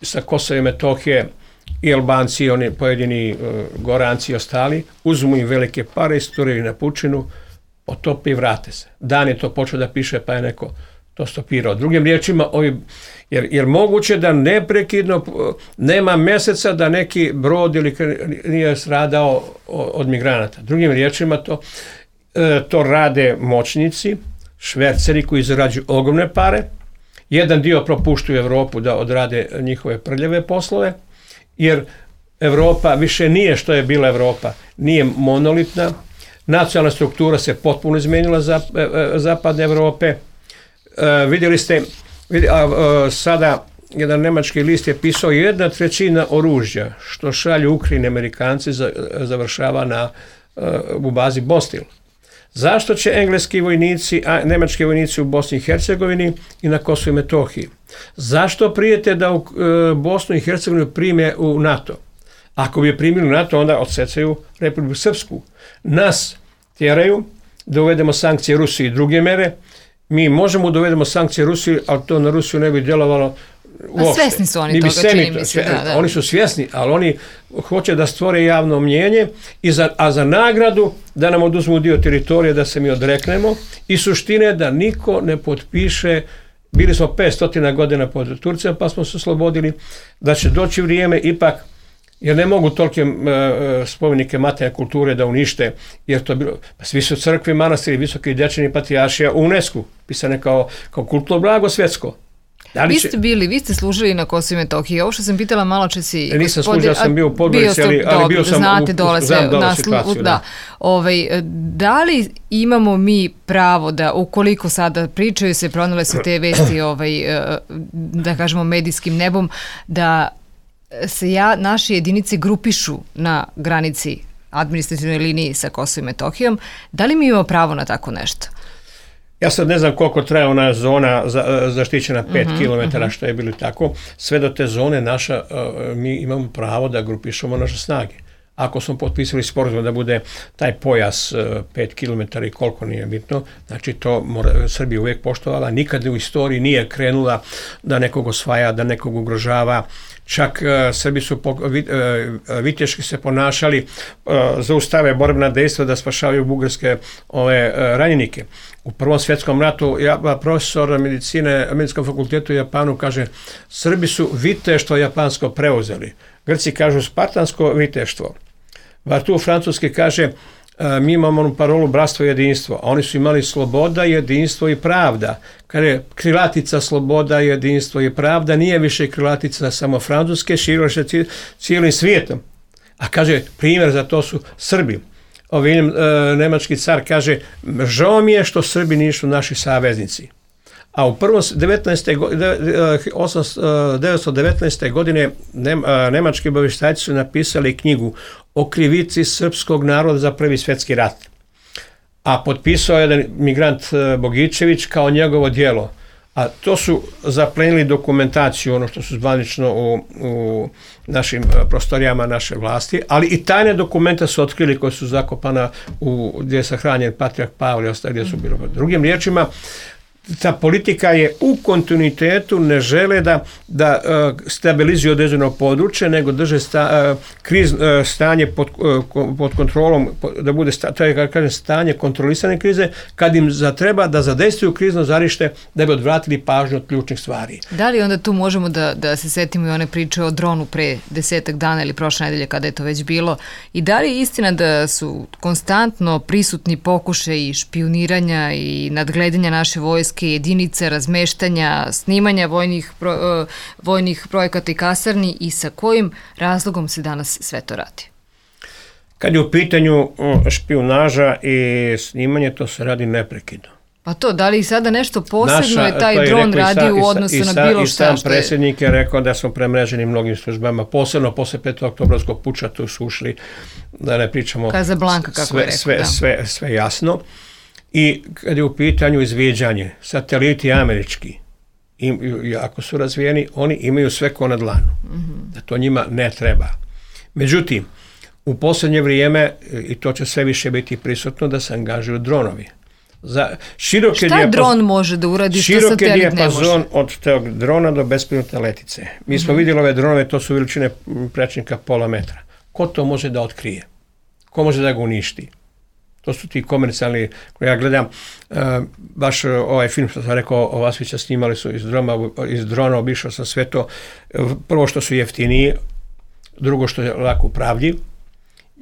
sa Kosova i Metohije i Albanci, i oni pojedini Goranci i ostali, uzmu im velike pare, isturaju na pučinu, potope i vrate se. Dan je to počeo da piše, pa je neko to stopirao. Drugim riječima, jer moguće da neprekidno nema meseca da neki brod ili nije stradao od migranata. Drugim riječima, to rade moćnici, šverceri koji zarađuju ogromne pare. Jedan dio propuštuju Evropu da odrade njihove prljave poslove, jer Evropa više nije što je bila Evropa. Nije monolitna. Nacionalna struktura se potpuno izmenila zapadne Evrope. Vidjeli ste, sada jedan nemački list je pisao 1/3 oružja što šalju Ukrajini Amerikanci završava u bazi Bostil. Zašto će engleski vojnici, a nemački vojnici u Bosni i Hercegovini i na Kosovu i Metohiji? Zašto prijete da u Bosnu i Hercegovinu prime u NATO? Ako bi je primili u NATO, onda odsecaju Republiku Srpsku. Nas tjeraju da uvedemo sankcije Rusiji i druge mere. Mi možemo da uvedemo sankcije Rusiji, ali to na Rusiju ne bi djelovalo uopšte. Svjesni su oni toga, čini mi se. Oni su svjesni, ali oni hoće da stvore javno mnijenje, a za nagradu da nam oduzmu dio teritorije, da se mi odreknemo. I suština je da niko ne potpiše, bili smo 500 godina pod Turcima, pa smo se oslobodili, da će doći vrijeme ipak, jer ne mogu tolike spomenike materijalne kulture da unište, jer to bilo, pa svi su crkve, manastiri, visoki dječani patrijaršija u UNESCO, pisane kao kulturno blago svjetsko. Vi ste služili na Kosovu i Metohiji. Ovo što sam pitala malo česi... Nisam služio, sam bio u Podgorici, ali bio sam znate, dole situaciju. Da. Da li imamo mi pravo da, ukoliko sada pričaju se, pronale su te vesti, da kažemo, medijskim nebom, da se naše jedinice grupišu na granici administrativnoj liniji sa Kosovom i Metohijom, da li mi imamo pravo na tako nešto? Ja sad ne znam koliko traje ona zona zaštićena 5 km, što je bilo tako. Sve do te zone mi imamo pravo da grupišemo naše snage. Ako smo potpisali sporazum da bude taj pojas 5 km i koliko nije bitno, znači to Srbija uvijek poštovala. Nikad u istoriji nije krenula da nekog osvaja, da nekog ugrožava. čak Srbi su viteški se ponašali, zaustave borbena dejstva da spašavaju bugarske ranjenike. U Prvom svjetskom ratu profesor medicine na Medicinskom fakultetu u Japanu kaže, Srbi su viteštvo japansko preuzeli. Grci kažu spartansko viteštvo. Vartu francuski kaže, mi imamo onu parolu bratstvo i jedinstvo, a oni su imali sloboda, jedinstvo i pravda. Kaže, krilatica sloboda, jedinstvo i pravda nije više krilatica samo francuske, širila se cijelim svijetom. A kaže, primjer za to su Srbi. Nemački car kaže, žao mi je što Srbi nisu naši saveznici. A u 1919. godine nemački obavještajci su napisali knjigu o krivici srpskog naroda za Prvi svjetski rat. A potpisao jedan migrant Bogičević kao njegovo djelo. A to su zaplenili dokumentaciju, ono što su zvanično u našim prostorijama naše vlasti, ali i tajne dokumenta su otkrili koje su zakopana gdje je sahranjen Patrijarh Pavle i ostali gdje su bilo. Drugim riječima, ta politika je u kontinuitetu, ne žele da stabilizuju određeno područje, nego drže stanje pod kontrolom, da bude stanje kontrolisane krize, kad im zatreba da zadejstvuju krizno žarište da bi odvratili pažnju od ključnih stvari. Da li onda tu možemo da se setimo i one priče o dronu pre 10 dana ili prošle nedelje kada je to već bilo, i da li je istina da su konstantno prisutni pokušaji špijuniranja i nadgledanja naše vojske, jedinice, razmeštanja, snimanja vojnih projekata i kasarni, i sa kojim razlogom se danas sve to radi? Kad je u pitanju špijunaža i snimanje, to se radi neprekidno. Pa to, da li sada nešto posebno je taj dron radio u odnosu na bilo šta? I sam predsjednik je rekao da smo premreženi mnogim službama, posebno posle 5. oktobrovskog puča, tu su ušli, da ne pričamo Casablanca, kako je rekao, sve jasno. I kad je u pitanju izviđanje, sateliti američki, ako su razvijeni, oni imaju sve ko na dlanu. Da to njima ne treba. Međutim, u posljednje vrijeme, i to će sve više biti prisutno, da se angažuju dronovi. Šta dron može da uradi što satelit ne može? Široki dijapazon od tog drona do bespilotne letice. Mi smo vidjeli ove dronove, to su veličine prečnika pola metra. Ko to može da otkrije? Ko može da ga uništi? To su ti komercijalni, ja gledam, baš ovaj film što sam rekao, Ovasvića snimali su iz drona, obišao sam sve to. Prvo što su jeftiniji, drugo što je lako upravljiv.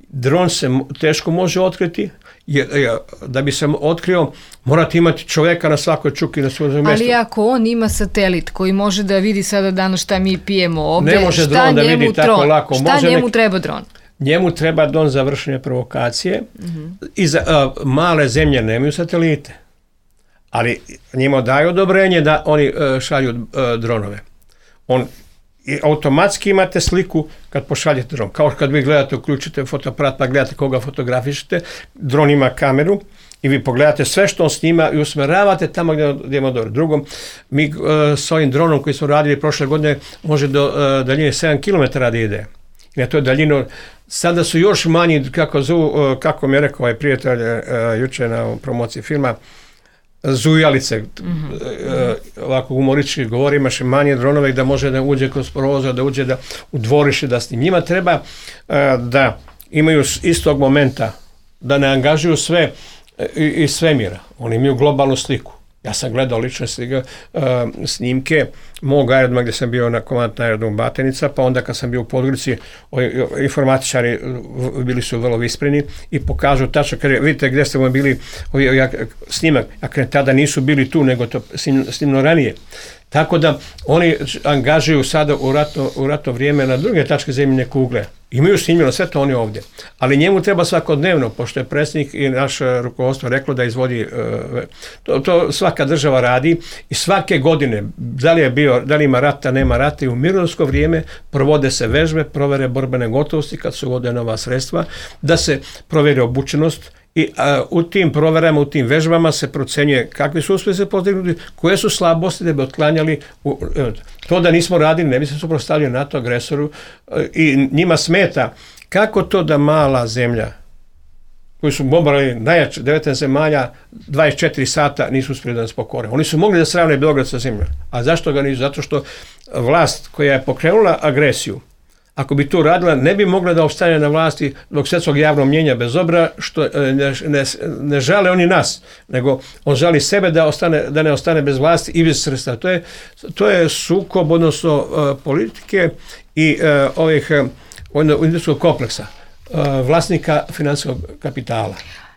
Dron se teško može otkriti, da bi se otkrio morate imati čovjeka na svakoj čuki na svojom mjestu. Ali ako on ima satelit koji može da vidi sada danas šta mi pijemo ovdje, ne može dron da vidi tako lako. Šta njemu treba dron? Njemu treba dron za vršenje provokacije i za male zemlje nemaju satelite, ali njima daju odobrenje da oni šalju dronove. I automatski imate sliku kad pošaljete dron. Kao kad vi gledate, uključite fotoaparat pa gledate koga fotografišete, dron ima kameru i vi pogledate sve što on snima i usmeravate tamo gdje ima dobro. Drugo, mi s ovim dronom koji smo radili prošle godine može do daljine 7 km da ide. I na toj daljinu sada su još manji, kako mi je rekao ovaj prijatelj jučer na promociji filma, zujalice, ovako humorički govori, imaš manje dronove da može da uđe kroz prozor, da uđe u dvorište da snim. Njima treba da imaju istog momenta, da ne angažuju sve iz svemira. Oni imaju globalnu sliku. Ja sam gledao lično snimke mog aerodroma gdje sam bio na komandnom aerodromu Batenica, pa onda kad sam bio u Podgorici, informatičari bili su vrlo vispreni i pokažu tačno, kad vidite gdje ste bili snimak, a tada nisu bili tu, nego to snimno ranije. Tako da oni angažuju sada u ratno vrijeme na druge tačke zemljine kugle. Imaju snimljeno sve to oni ovdje. Ali njemu treba svakodnevno, pošto je predsjednik i naš rukovodstvo reklo da izvodi, to svaka država radi i svake godine, da li ima rata, nema rata, i u mirnodopsko vrijeme provode se vežbe, provere borbene gotovosti kad se uvode nova sredstva, da se proveri obučenost i u tim proverama, u tim vežbama se procenjuje kakvi su uspjesi postignuti, koje su slabosti da bi otklanjali. To da nismo radili, ne bi se suprotstavili NATO agresoru i njima smeta kako to da mala zemlja koji su bombardovali najjače 19 zemalja, 24 sata nisu uspjeli da nas pokore. Oni su mogli da sravne Beograd sa zemljom. A zašto ga nisu? Zato što vlast koja je pokrenula agresiju, ako bi to radila, ne bi mogla da opstane na vlasti zbog svjetskog javnog mnjenja, bez obzira što ne žale oni nas, nego on žali sebe da ne ostane bez vlasti i bez sredstva. To je sukob, odnosno politike i ovih industrijskog kompleksa, vlasnika finansijskog kapitala.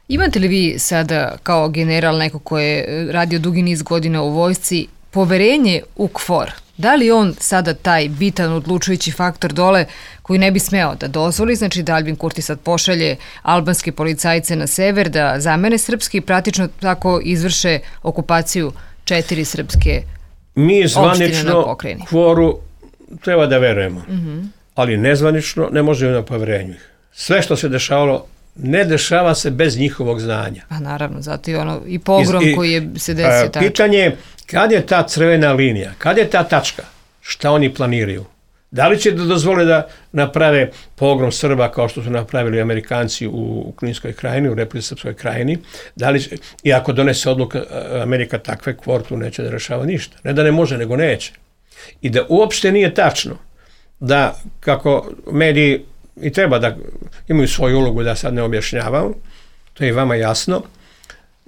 Imate li vi sada kao general, neko ko je radio dugi niz godina u vojsci, poverenje u KFOR? Da li on sada taj bitan odlučujući faktor dole koji ne bi smeo da dozvoli, znači da Aljbin Kurti sad pošalje albanske policajce na sever da zamene srpski i praktično tako izvrše okupaciju 4 srpske mi opštine na zvanično pokrajini? KFOR-u treba da verujemo, ali nezvanično ne možemo na poverenju. Sve što se dešavalo ne dešava se bez njihovog znanja. Pa naravno, zato je i pogrom koji je se desio tako. Pitanje je kad je ta crvena linija, kad je ta tačka, šta oni planiraju? Da li će da dozvole da naprave pogrom Srba kao što su napravili Amerikanci u Kninskoj krajini, u Republici Srpskoj krajini? I ako donese odluka Amerika takve, KFOR tu neće da rešava ništa. Ne da ne može, nego neće. I da uopšte nije tačno da kako mediji i treba da imaju svoju ulogu, da sad ne objašnjavam, to je i vama jasno,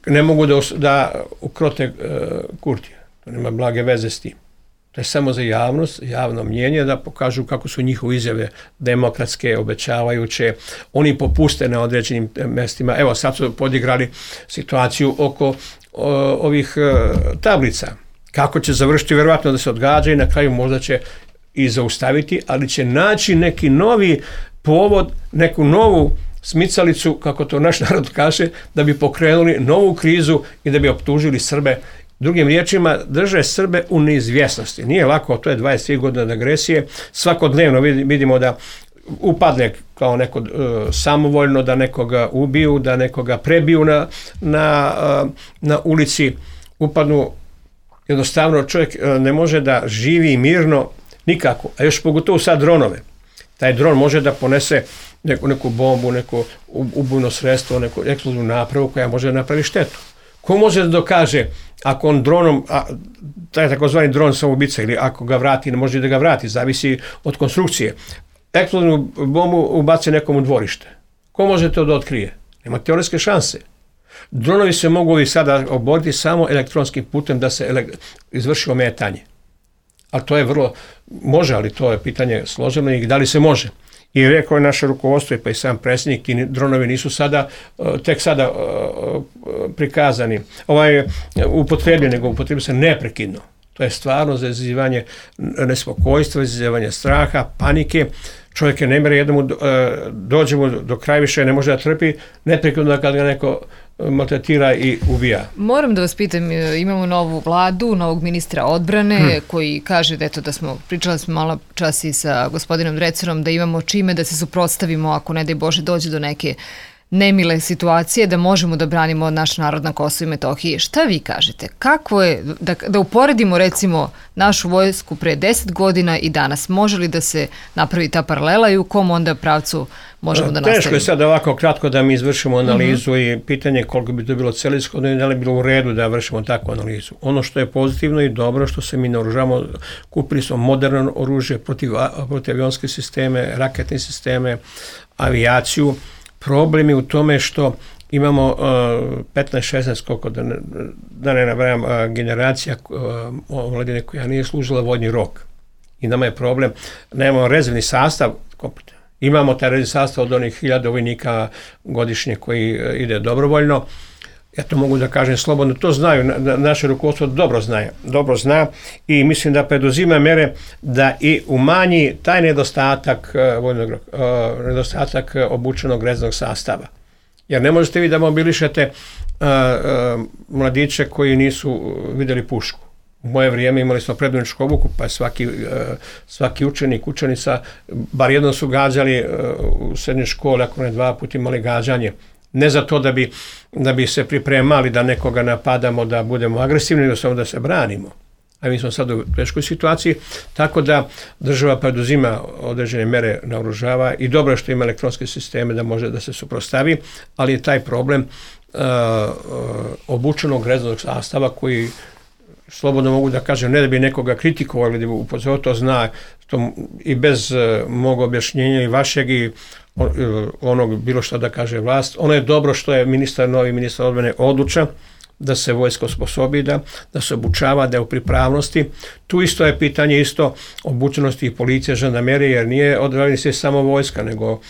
ne mogu da ukrote Kurtija. To nema blage veze s tim. To je samo za javnost, javno mnjenje, da pokažu kako su njihove izjave demokratske, obećavajuće. Oni popuste na određenim mestima. Evo, sad su podigrali situaciju oko ovih tablica. Kako će završiti, verovatno da se odgađa i na kraju možda će i zaustaviti, ali će naći neki novi povod, neku novu smicalicu, kako to naš narod kaže, da bi pokrenuli novu krizu i da bi optužili Srbe. Drugim riječima, drže Srbe u neizvjesnosti. Nije lako, to je 23 godina od agresije. Svakodnevno vidimo da upadne kao neko samovoljno, da nekoga ubiju, da nekoga prebiju na ulici, upadnu. Jednostavno čovjek ne može da živi mirno nikako, a još pogotovo sad dronove. Taj dron može da ponese neku bombu, neko ubojno sredstvo, neku eksplozivnu napravu koja može da napravi štetu. Ko može da dokaže ako on dronom, taj takozvani dron samoubica, ili ako ga vrati, ne može da ga vrati, zavisi od konstrukcije. Eksplozivnu bombu ubaci nekom u dvorište. Ko može to da otkrije? Nema teoretske šanse. Dronovi se mogu i sada oboriti samo elektronskim putem da se izvrši ometanje. Ali to je može, ali to je pitanje složeno i da li se može. I rekao je naše rukovodstvo, pa i sam predsjednik, ti dronovi nisu tek sada prikazani, upotrebljeni, nego upotrebljeni se neprekidno. To je stvarno za izazivanje nespokojstva, izazivanje straha, panike. Čovjek je nemere, jednom dođemo do kraja više, ne može da trpi, neprekidno kad ga neko maltretira i ubija. Moram da vas pitam, imamo novu vladu, novog ministra odbrane koji kaže pričali smo malo čas i sa gospodinom Drecarom, da imamo čime da se suprotstavimo ako ne daj Bože dođe do neke nemile situacije, da možemo da branimo naš narod na Kosovu i Metohiji. Šta vi kažete? Kako je, da uporedimo recimo našu vojsku pre 10 godina i danas, može li da se napravi ta paralela i u kom onda pravcu možemo da nastavimo? Teško je sad ovako kratko da mi izvršimo analizu i pitanje koliko bi to bilo celishodno i da li bilo u redu da vršimo takvu analizu. Ono što je pozitivno i dobro što se mi naoružamo, kupili smo moderno oružje, protivavionske sisteme, raketne sisteme, avijaciju. Problem je u tome što imamo 15-16, koliko da ne nabrajam, generacija omladine koja nije služila vojni rok. I nama je problem, nemamo rezervni sastav, imamo taj rezervni sastav od onih 1000 vojnika godišnje koji ide dobrovoljno. Ja to mogu da kažem slobodno, to znaju, naše rukovodstvo dobro zna i mislim da preduzima mere da i umanji taj nedostatak obučenog rezervnog sastava. Jer ne možete vi da mobilišete mladiće koji nisu vidjeli pušku. U moje vrijeme imali smo predvodničku obuku, pa svaki učenica, bar jednom su gađali u srednjoj školi, ako ne 2 puta imali gađanje. Ne za to da bi se pripremali da nekoga napadamo, da budemo agresivni, nego samo da se branimo. a mi smo sad u teškoj situaciji, tako da država preduzima određene mere, naoružava i dobro je što ima elektronske sisteme da može da se suprotstavi, ali je taj problem obučenog rezervnog sastava koji, slobodno mogu da kažem, ne da bi nekoga kritikovali, da bi upozorio, to zna to, i bez mog objašnjenja i vašeg i onog bilo što da kaže vlast. Ono je dobro što je novi ministar odbrane odlučan da se vojska osposobi, da se obučava, da je u pripravnosti. Tu isto je pitanje obučenosti i policije, žandarmerije, jer nije odbrani se samo vojska, nego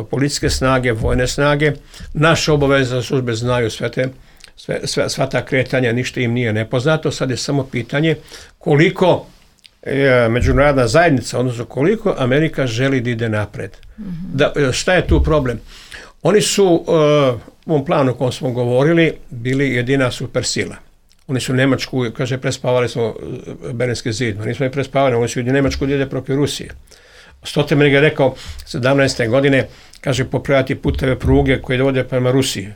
policijske snage, vojne snage. Naše obaveze službe znaju sva ta kretanja, ništa im nije nepoznato. Sad je samo pitanje koliko međunarodna zajednica, odnosno koliko Amerika želi da ide napred. Šta je tu problem? Oni su u ovom planu o kojem smo govorili bili jedina supersila. Oni su Nemačku, kaže, prespavali smo Berlinski zid, nismo je prespavali, oni su Nemačku ide protiv Rusije. Stoltenberg je rekao 17. godine, kaže, popraviti puteve pruge koje dovode prema Rusiji,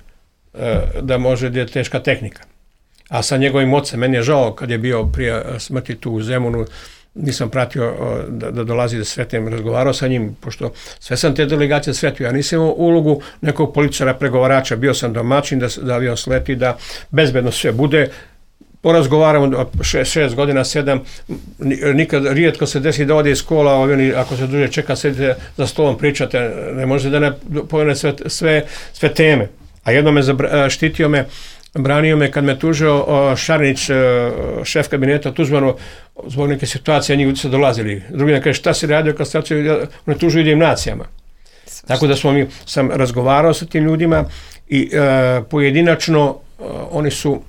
da može da je teška tehnika. A sa njegovim ocem, meni je žao kad je bio prije smrti tu u Zemunu, nisam pratio da dolazi da sretim, razgovarao sa njim, pošto sve sam te delegacije sretio, ja nisam imao ulogu nekog političara, pregovarača, bio sam domaćin da avion sleti, da bezbedno sve bude, porazgovaramo 6 godina, 7, nikad, rijetko se desi da ode iz kola, ako se duže čeka, sedite za stolom, pričate, ne možete da ne pojene sve teme. A jedno me štitio me, branio me kad me tužio Šarnić, šef kabineta Tuđmanu, zbog neke situacije, njih su dolazili. Drugi ne kaže, šta si radio kad staciju, ne tužuju jednim nacijama. Tako da sam razgovarao sa tim ljudima i pojedinačno oni su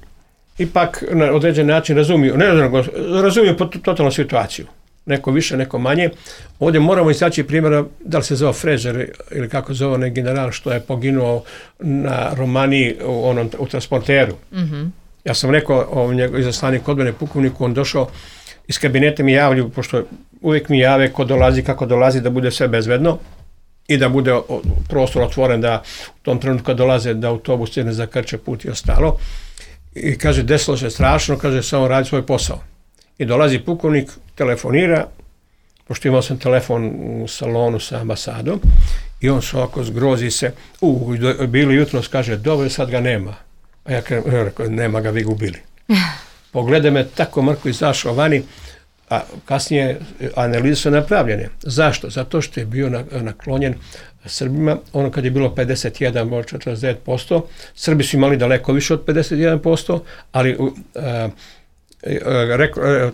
ipak na određen način razumiju totalnu situaciju. Neko više, neko manje. Ovdje moramo istaći primjera, da li se zove Frežer ili kako zove onaj general što je poginuo na Romaniji u transporteru. Ja sam rekao izaslanik odbrane pukovniku, on došao iz kabineta, mi javljaju, pošto uvijek mi jave ko dolazi, kako dolazi, da bude sve bezbedno i da bude prostor otvoren, da u tom trenutku kad dolaze da autobus ne zakrče put i ostalo. I kaže, desilo se strašno, kaže, samo radi svoj posao. I dolazi pukovnik, telefonira, pošto imao sam telefon u salonu sa ambasadom, i on se ovako zgrozi se, bili jutros, kaže, dobro, sad ga nema. A ja rekao, nema ga, vi ga ubili. Pogleda me, tako mrko izašao vani, a kasnije analize su napravljene. Zašto? Zato što je bio naklonjen Srbima, ono kad je bilo 51, 49%, Srbi su imali daleko više od 51%, ali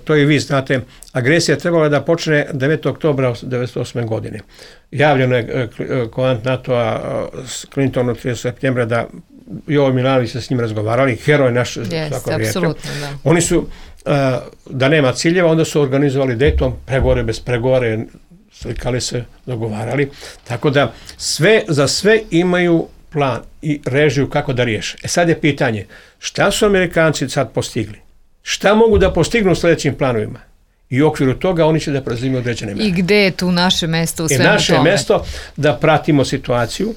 to i vi znate, agresija je trebala da počne 9. oktobra 1998. godine. Javljeno je komandant NATO-a s Clintonom 30. septembra da Jovo Milanović se s njim razgovarali, heroj naš svako vrijete. Oni su, da nema ciljeva, onda su organizovali Dayton, pregovore bez pregovore, slikali se, dogovarali, tako da za sve imaju plan i režiju kako da riješe. Sad je pitanje, šta su Amerikanci sad postigli? Šta mogu da postignu u sljedećim planovima? I u okviru toga oni će da preuzimaju određene mere. I gde je tu naše mesto u svemu tome? Naše mesto da pratimo situaciju,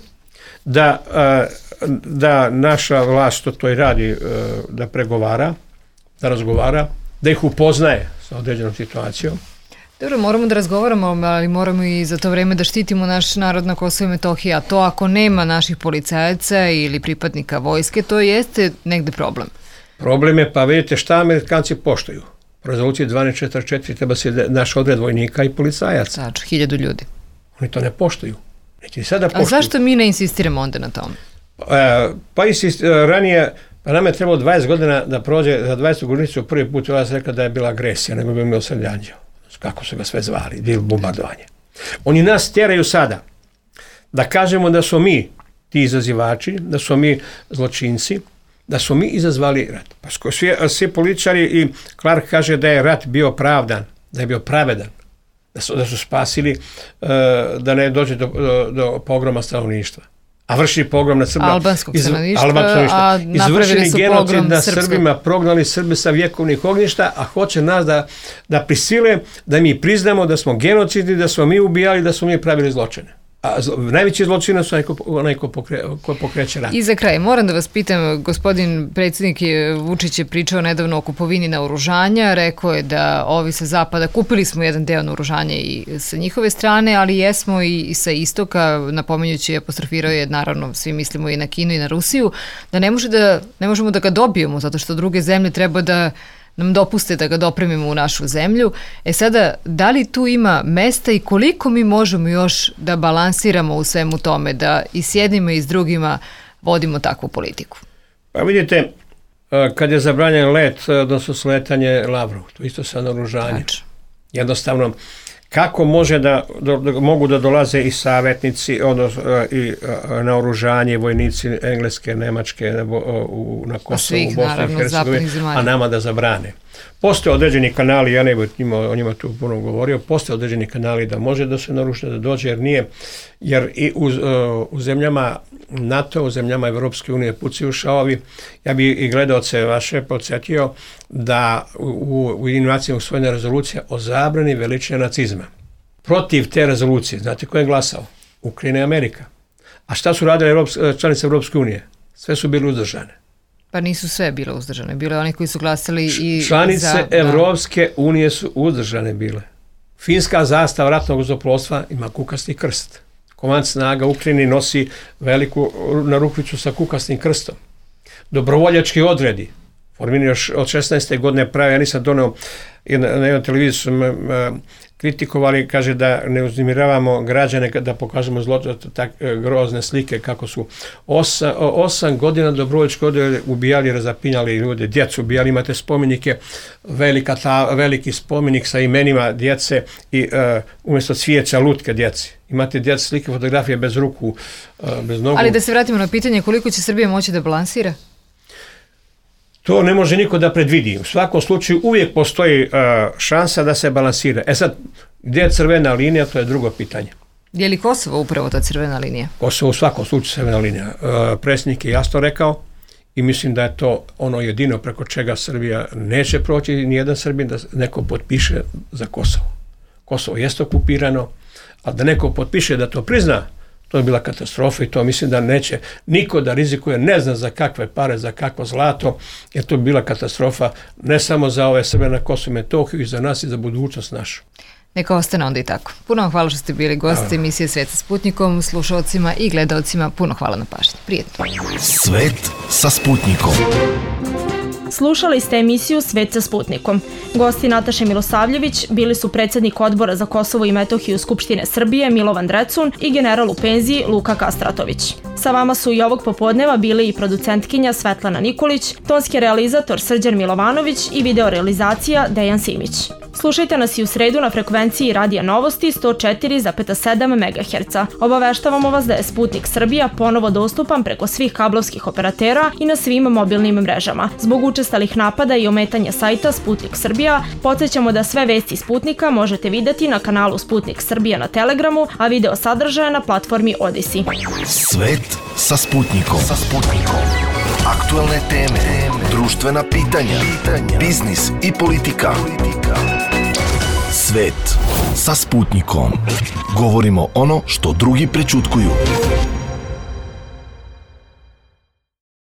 da naša vlast to i radi, da pregovara, da razgovara, da ih upoznaje sa određenom situacijom. Dobro, moramo da razgovaramo, ali moramo i za to vreme da štitimo naš narod na Kosovo i Metohiji, a to ako nema naših policajaca ili pripadnika vojske, to jeste negde problem. Problem je, pa vidite šta Amerikanci poštuju. Po rezoluciji 1244 treba se naš odred vojnika i policajaca. Znači, 1000 ljudi. Oni to ne poštuju. Neće ni sada poštuju. A zašto mi ne insistiramo onda na tome? Ranije, pa nam je trebalo 20 godina da prođe, za 20. godinicu prvi put vas rekao da je bila agresija, nego bi bio Srljanđeo. Kako su ga sve zvali, bilo bombardovanje. Oni nas tjeraju sada da kažemo da smo mi ti izazivači, da smo mi zločinci, da smo mi izazvali rat. Pa svi političari i Clark kaže da je rat bio pravdan, da je bio pravedan, da su spasili da ne dođe do pogroma stanovništva. A vrši pogrom na Srba. Albanskog stanovništva, a napravili su pogrom na Srbima, prognali Srbe sa vjekovnih ognjišta, a hoće nas da prisile, da mi priznamo da smo genocidni, da smo mi ubijali, da smo mi pravili zločine. A najveći zločinac su onaj ko pokreće rat. I za kraj, moram da vas pitam, gospodin predsjednik Vučić je pričao nedavno o kupovini naoružanja, rekao je da ovi sa zapada, kupili smo jedan deo naoružanja i sa njihove strane, ali jesmo i sa istoka, napominjući, apostrofirao je, naravno, svi mislimo i na Kinu i na Rusiju, da ne možemo da ga dobijemo, zato što druge zemlje treba da nam dopuste da ga dopremimo u našu zemlju. Sada, da li tu ima mesta i koliko mi možemo još da balansiramo u svemu tome, da i s jednima i s drugima vodimo takvu politiku? Pa vidite, kad je zabranjen let, odnosno sletanje Lavrov, to isto sa naoružanjem. Jednostavno, kako može da mogu da dolaze i savjetnici, odnosno i naoružanje, vojnici Engleske, Nemačke na Kosovu, u Bosni i Hercegovini, a nama da zabrane. Postoje određeni kanali, ja ne bih o njima tu puno govorio, postoje određeni kanali da može da se naruši, da dođe, jer i u zemljama NATO, u zemljama Evropske unije pucaju šavovi. Ja bi i gledaoce vaše podsjetio da u Ujedinjenim usvojena rezolucija o zabrani veličine nacizma. Protiv te rezolucije, znate ko je glasao? Ukrajina i Amerika. A šta su radile članice Evropske unije? Sve su bile uzdržane. Pa nisu sve bile uzdržane. Bilo je oni koji su glasali i članice Evropske unije su uzdržane bile. Finska zastava ratnog zrakoplovstva ima kukasti krst. Komand snaga Ukrajine nosi veliku narukvicu sa kukastim krstom. Dobrovoljački odredi, formirani još od 16. godine prave, ja nisam doneo na jednom televiziju, kritikovali, kaže da ne uznemiravamo građane, da pokažemo grozne slike kako su 8 godina dobrovoljački odredi ubijali, razapinjali ljude, djecu ubijali, imate spomenike, veliki spomenik sa imenima djece i umjesto cvijeća lutke djeci. Imate djece slike, fotografije bez ruku, bez nogu. Ali da se vratimo na pitanje koliko će Srbija moći da balansira? To ne može niko da predvidi. U svakom slučaju uvijek postoji šansa da se balansira. Sad, gdje je crvena linija, to je drugo pitanje. Je li Kosovo upravo ta crvena linija? Kosovo u svakom slučaju crvena linija. Predsjednik je jasno rekao i mislim da je to ono jedino preko čega Srbija neće proći, nijedan Srbin, da neko potpiše za Kosovo. Kosovo jeste okupirano, a da neko potpiše da to prizna, to je bila katastrofa i to mislim da neće niko da rizikuje, ne zna za kakve pare, za kakvo zlato, jer to bi bila katastrofa ne samo za ove Srbe na Kosovu i Metohiju, i za nas i za budućnost našu. Neka ostane onda i tako. Puno vam hvala što ste bili gosti emisije Svet sa Sputnikom, slušalcima i gledalcima. Puno hvala na pažnji. Prijetno. Svet sa Sputnikom. Slušali ste emisiju Svet sa Sputnikom. Gosti Nataše Milosavljević bili su predsjednik Odbora za Kosovo i Metohiju Skupštine Srbije Milovan Drecun i general u penziji Luka Kastratović. Sa vama su i ovog popodneva bili i producentkinja Svetlana Nikolić, tonski realizator Srđan Milovanović i videorealizacija Dejan Simić. Slušajte nas i u sredu na frekvenciji Radija Novosti 104,7 MHz. Obaveštavamo vas da je Sputnik Srbija ponovo dostupan preko svih kablovskih operatera i na svim mobilnim mrežama. Zbog učestalih napada i ometanja sajta Sputnik Srbija, podsjećamo da sve vesti Sputnika možete videti na kanalu Sputnik Srbija na Telegramu, a video sadržaje na platformi Odisi. Svet sa Sputnikom. Aktualne teme, društvena pitanja, biznis i politika. Svet sa Sputnikom. Govorimo ono što drugi prećutkuju.